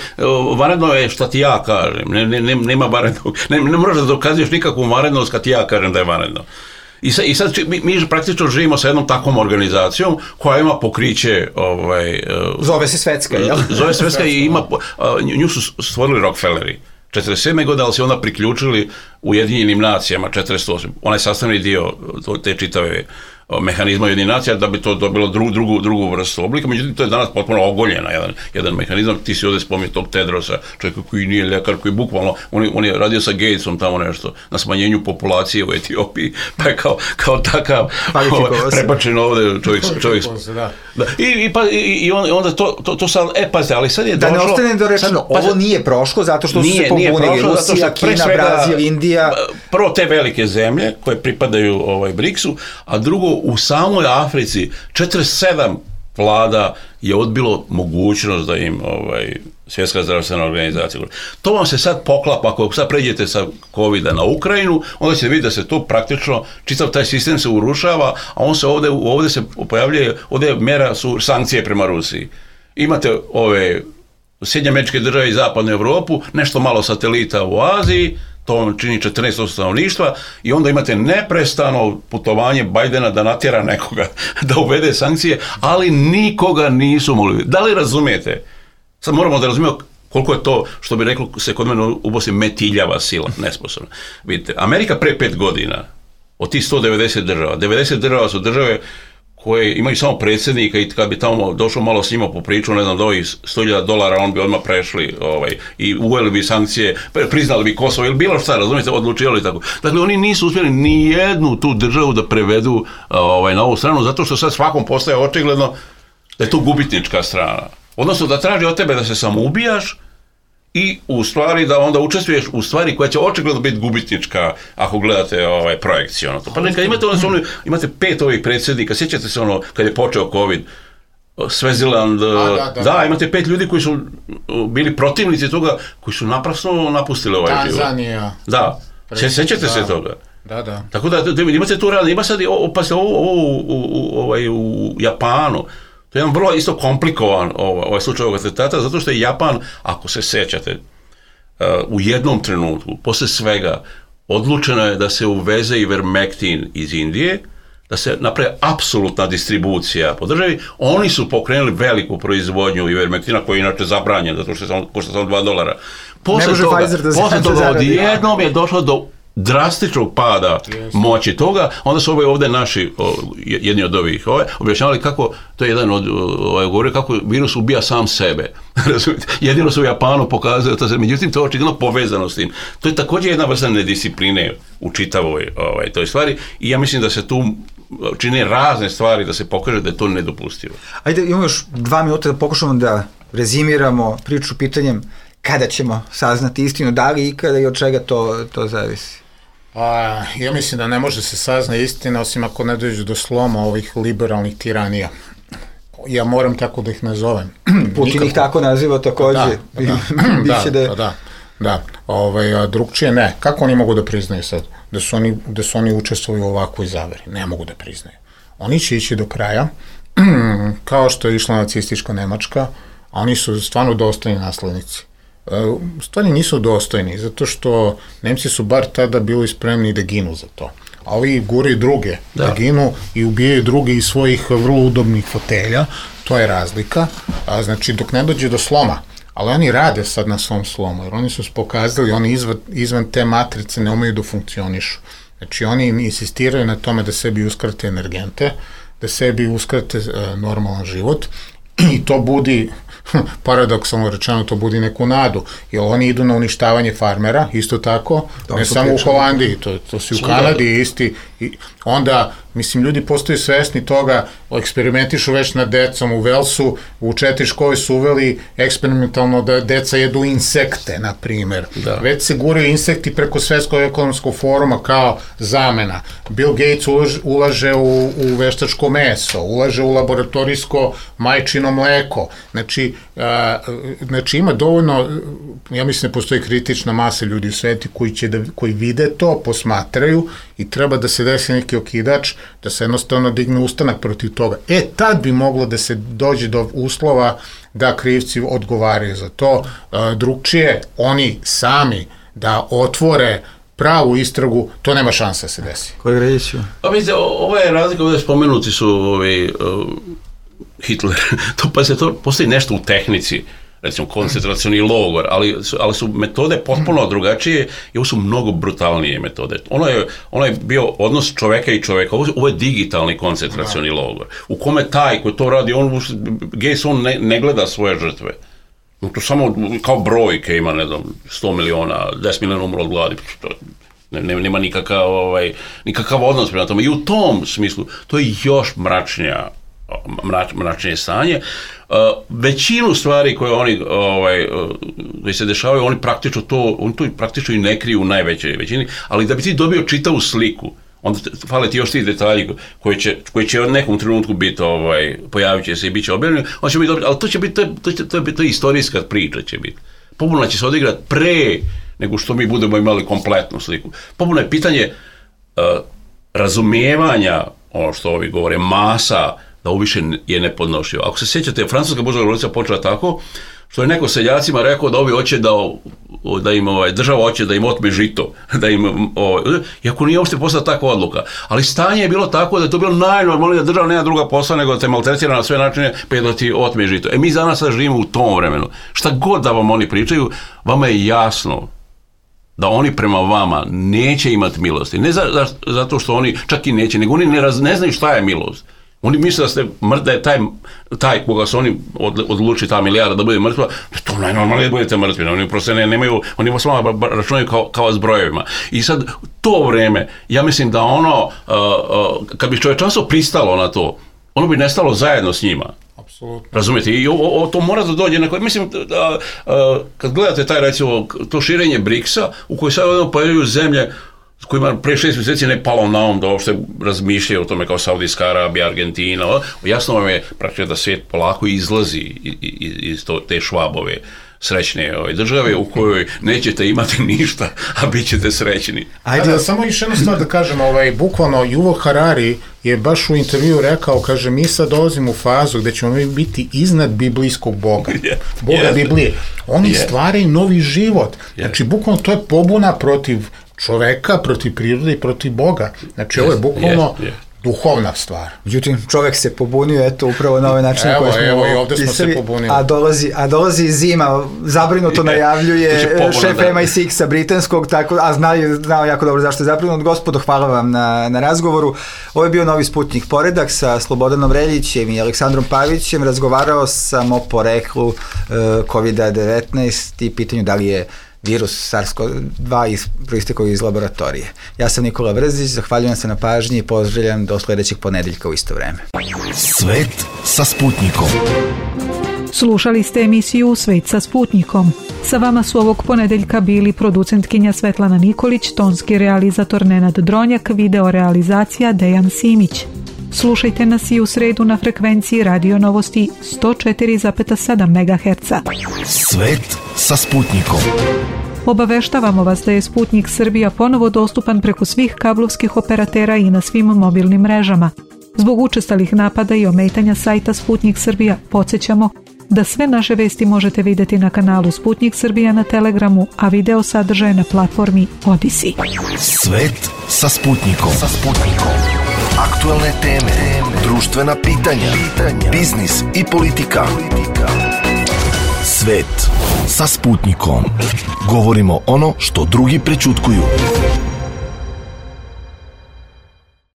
vanredno je šta ti ja kažem, nema vanrednog, ne moraš da dokazuješ nikakvu vanrednost kad ti ja kažem da je vanredno. I sad mi praktično živimo sa jednom takvom organizacijom koja ima pokriće... Zove se Svetska, jel? Zove se Svetska i ima, nju su stvorili Rockefelleri 47. godine, ali se onda priključili Ujedinjenim nacijama 48. Ona je sastavni dio te čitave mehanizma Ujedinjenih nacija da bi to dobilo drugu vrstu oblika, međutim to je danas potpuno ogoljena jedan mehanizam. Ti si ovdje spominjao tog Tedrosa, čovjeka koji nije ljekar, koji bukvalno, on je radio sa Gatesom tamo nešto na smanjenju populacije u Etiopiji, pa je kao takav prebačen ovdje čovjek. I onda to sad, pazite, ali sad je došlo... Da ne ostane dorečeno, ovo nije prošlo zato što su se pobunili Rusija, Kina, Brazil, Indija... Prvo te velike zemlje koje pripadaju BRICS-u, a drugo u samoj Africi 47 vlada je odbilo mogućnost da im Svjetska zdravstvena organizacija. To vam se sad poklapa, ako sad pređete sa COVID-a na Ukrajinu, onda ćete vidjeti da se to praktično, čitav taj sistem se urušava, a on se ovdje se pojavljuje, ovdje mjera su sankcije prema Rusiji. Imate Sjedinjene Američke Države i Zapadnu Europu, nešto malo satelita u Aziji, to vam čini 14% stanovništva i onda imate neprestano putovanje Bajdena da natjera nekoga da uvede sankcije, ali nikoga nisu mogli. Da li razumijete? Sad moramo da razumijemo koliko je to, što bi reklo se kod mene u Bosni, metiljava sila, nesposobna. Vidite, Amerika pre 5 godina, od tih 190 država, 90 država su države koje imaju samo predsjednika i kad bi tamo došao malo s njima po priču, ne znam, do ovih $100,000, on bi odmah prešli i uveli bi sankcije, priznali bi Kosovo ili bilo šta, razumijete, odlučivali tako. Dakle, oni nisu uspjeli ni jednu tu državu da prevedu na ovu stranu, zato što sad svakom postaje očigledno da je to gubitnička strana. Odnosno da traži od tebe da se samo ubijaš i u stvari da onda učestvuješ u stvari koja će očigledno biti gubitnička ako gledate projekciju. Pa nekad imate 5 ovih predsjednika, sjećate se kad je počeo COVID, Sveziland, da, imate 5 ljudi koji su bili protivnici toga, koji su naprasno napustili ovaj život. Tanzanija. Da, sjećate se toga? Da. Tako da imate tu realno, ima sad u Japanu, to je jedan vrlo isto komplikovan ovaj slučaj ovog atentata, zato što je Japan, ako se sjećate, u jednom trenutku, posle svega, odlučeno je da se uveze Ivermectin iz Indije, da se napravi apsolutna distribucija po državi. Oni su pokrenuli veliku proizvodnju Ivermectina, koji je inače zabranjen, zato što košta samo $2. Posle toga odjednom je došlo do drastičnog pada moći toga, onda su ovdje naši, jedni od ovih, objašnjavali kako, to je jedan od govorio kako virus ubija sam sebe. Jedino su u Japanu pokazali to, međutim to je očigledno povezano s tim. To je također jedna vrsta nediscipline u čitavoj toj stvari i ja mislim da se tu čine razne stvari da se pokaže da je to nedopustivo. Ajde, imamo još 2 minuta da pokušamo da rezimiramo priču pitanjem kada ćemo saznati istinu, da li ikada i od čega to zavisi? Ja mislim da ne može se saznati istina osim ako ne dođe do sloma ovih liberalnih tiranija. Ja moram tako da ih nazovem. Putin ih tako naziva također. Da. Drugčije ne. Kako oni mogu da priznaju sad da su oni učestvovali u ovakvoj zaveri? Ne mogu da priznaju. Oni će ići do kraja, kao što je išla nacistička Nemačka, a oni su stvarno dostojni naslednici. Stvari nisu dostojni, zato što Nemci su bar tada bili spremni da ginu za to. A ovi guraju druge da ginu i ubijaju druge iz svojih vrlo udobnih fotelja, to je razlika. Znači, dok ne dođe do sloma, ali oni rade sad na svom slomu, jer oni su pokazali, oni izvan te matrice ne umeju da funkcionišu. Znači, oni insistiraju na tome da sebi uskrate energente, da sebi uskrate normalan život i to budi, paradoksalno rečeno, to budi neku nadu, jer oni idu na uništavanje farmera, isto tako, ne samo u Holandiji, to su u Kanadi isti, i onda, mislim, ljudi postaju svesni toga, eksperimentišu već nad decom u Velsu, u 4 škole su uveli eksperimentalno da deca jedu insekte, na primjer. Već se guraju insekti preko Svetskog ekonomskog foruma kao zamena. Bill Gates ulaže u veštačko meso, ulaže u laboratorijsko majčino mleko. Znači ima dovoljno, ja mislim da postoji kritična masa ljudi u svetu koji vide to, posmatraju i treba da se desi neki okidač, da se jednostavno digne ustanak protiv toga. Tad bi moglo da se dođe do uslova da krivci odgovaraju za to. Drugčije, oni sami da otvore pravu istragu, to nema šanse da se desi. Koji reći? Pa vidite, ova je razlika, ovdje spomenuti su Hitler, postoji nešto u tehnici, recimo koncentracioni logor, ali su metode potpuno drugačije i ovo su mnogo brutalnije metode. Ono je bio odnos čoveka i čoveka, ovo je digitalni koncentracioni logor, u kome taj koji to radi, Gates, on ne gleda svoje žrtve. To samo kao brojke ima, ne znam, 100 miliona, 10 miliona umro od gladi, nema nikakav odnos prema tome. I u tom smislu, to je još mračnije stanje. Većinu stvari koje oni koji se dešavaju, oni to praktično i ne kriju u najvećoj većini, ali da bi ti dobio čitavu sliku, onda fale ti još ti detalji koji će u nekom trenutku biti, pojavit će se i bit će objavljeni, on će biti dobri, ali to je istorijska priča će biti. Pobuna će se odigrati pre nego što mi budemo imali kompletnu sliku. Pobuna je pitanje razumijevanja, ono što ovi govore, masa, da ovo više je nepodnošljivo. Ako se sjećate, francuska buržoazna revolucija počela tako, što je neko seljacima rekao da ovi hoće da im država hoće da im otme žito, iako nije uopšte postala takva odluka. Ali stanje je bilo tako da je to bilo najnormalnije da država nema druga posla nego da te maltretira na sve načine pa da ti otme žito. Mi za nas sad živimo u tom vremenu. Šta god da vam oni pričaju, vama je jasno da oni prema vama neće imati milosti. Ne zato što oni čak i neće, nego oni ne znaju šta je milost. Oni misle da je taj koga su oni odluči ta milijarda da bude mrtva, to najnormalnije da budete mrtvi. Oni prosto nemaju, oni vas samo računaju kao s brojevima. I sad, to vreme, ja mislim da kad bi čovječanstvo pristalo na to, ono bi nestalo zajedno s njima. Apsolutno. Razumijete? I to mora da dođe na koje, mislim, kad gledate taj, recimo, to širenje BRICS-a, u kojoj sad pojavljuju zemlje s kojima pre 6 mjeseci ne palo na um da uopšte razmišljaju o tome kao Saudijska Arabija, Argentina, jasno vam je praktično da svijet polako izlazi iz te Švabove srećne države u kojoj nećete imati ništa, a bit ćete srećni. Ajde, samo još jednu stvar da kažem, bukvalno Yuval Harari je baš u intervju rekao, kaže, mi sad dolazimo u fazu gde ćemo mi biti iznad biblijskog Boga, Boga Biblije. Oni stvaraju novi život. Znači, bukvalno to je pobuna protiv čoveka, protiv prirode i protiv Boga. Znači, ovo je bukvalno duhovna stvar. Međutim, čovek se pobunio, eto, upravo na ovaj način koji smo evo, i ovde smo se pobunili. A dolazi zima, zabrinuto najavljuje šef MI6-a britanskog, a znao jako dobro zašto je zabrinut. Gospodo, hvala vam na razgovoru. Ovo je bio Novi Sputnik Poredak sa Slobodanom Reljićem i Aleksandrom Pavićem. Razgovarao sam o poreklu COVID-19 i pitanju da li je virus SARS-CoV-2 proistekao iz laboratorije. Ja sam Nikola Brzić, zahvaljujem se na pažnji i pozdravljam do sledećeg ponedeljka u isto vreme. Svet sa Sputnikom. Slušali ste emisiju Svet sa Sputnikom. Sa vama su ovog ponedeljka bili producentkinja Svetlana Nikolić, tonski realizator Nenad Dronjak, video realizacija Dejan Simić. Slušajte nas i u sredu na frekvenciji Radio Novosti 104,7 MHz. Svet sa Sputnikom. Obaveštavamo vas da je Sputnik Srbija ponovo dostupan preko svih kablovskih operatera i na svim mobilnim mrežama. Zbog učestalih napada i ometanja sajta Sputnik Srbija podsjećamo da sve naše vesti možete vidjeti na kanalu Sputnik Srbija na Telegramu, a video sadržaje na platformi Odisi. Svet sa Sputnikom. Aktualne teme, društvena pitanja, biznis i politika. Svet sa Sputnikom. Govorimo ono što drugi prećutkuju.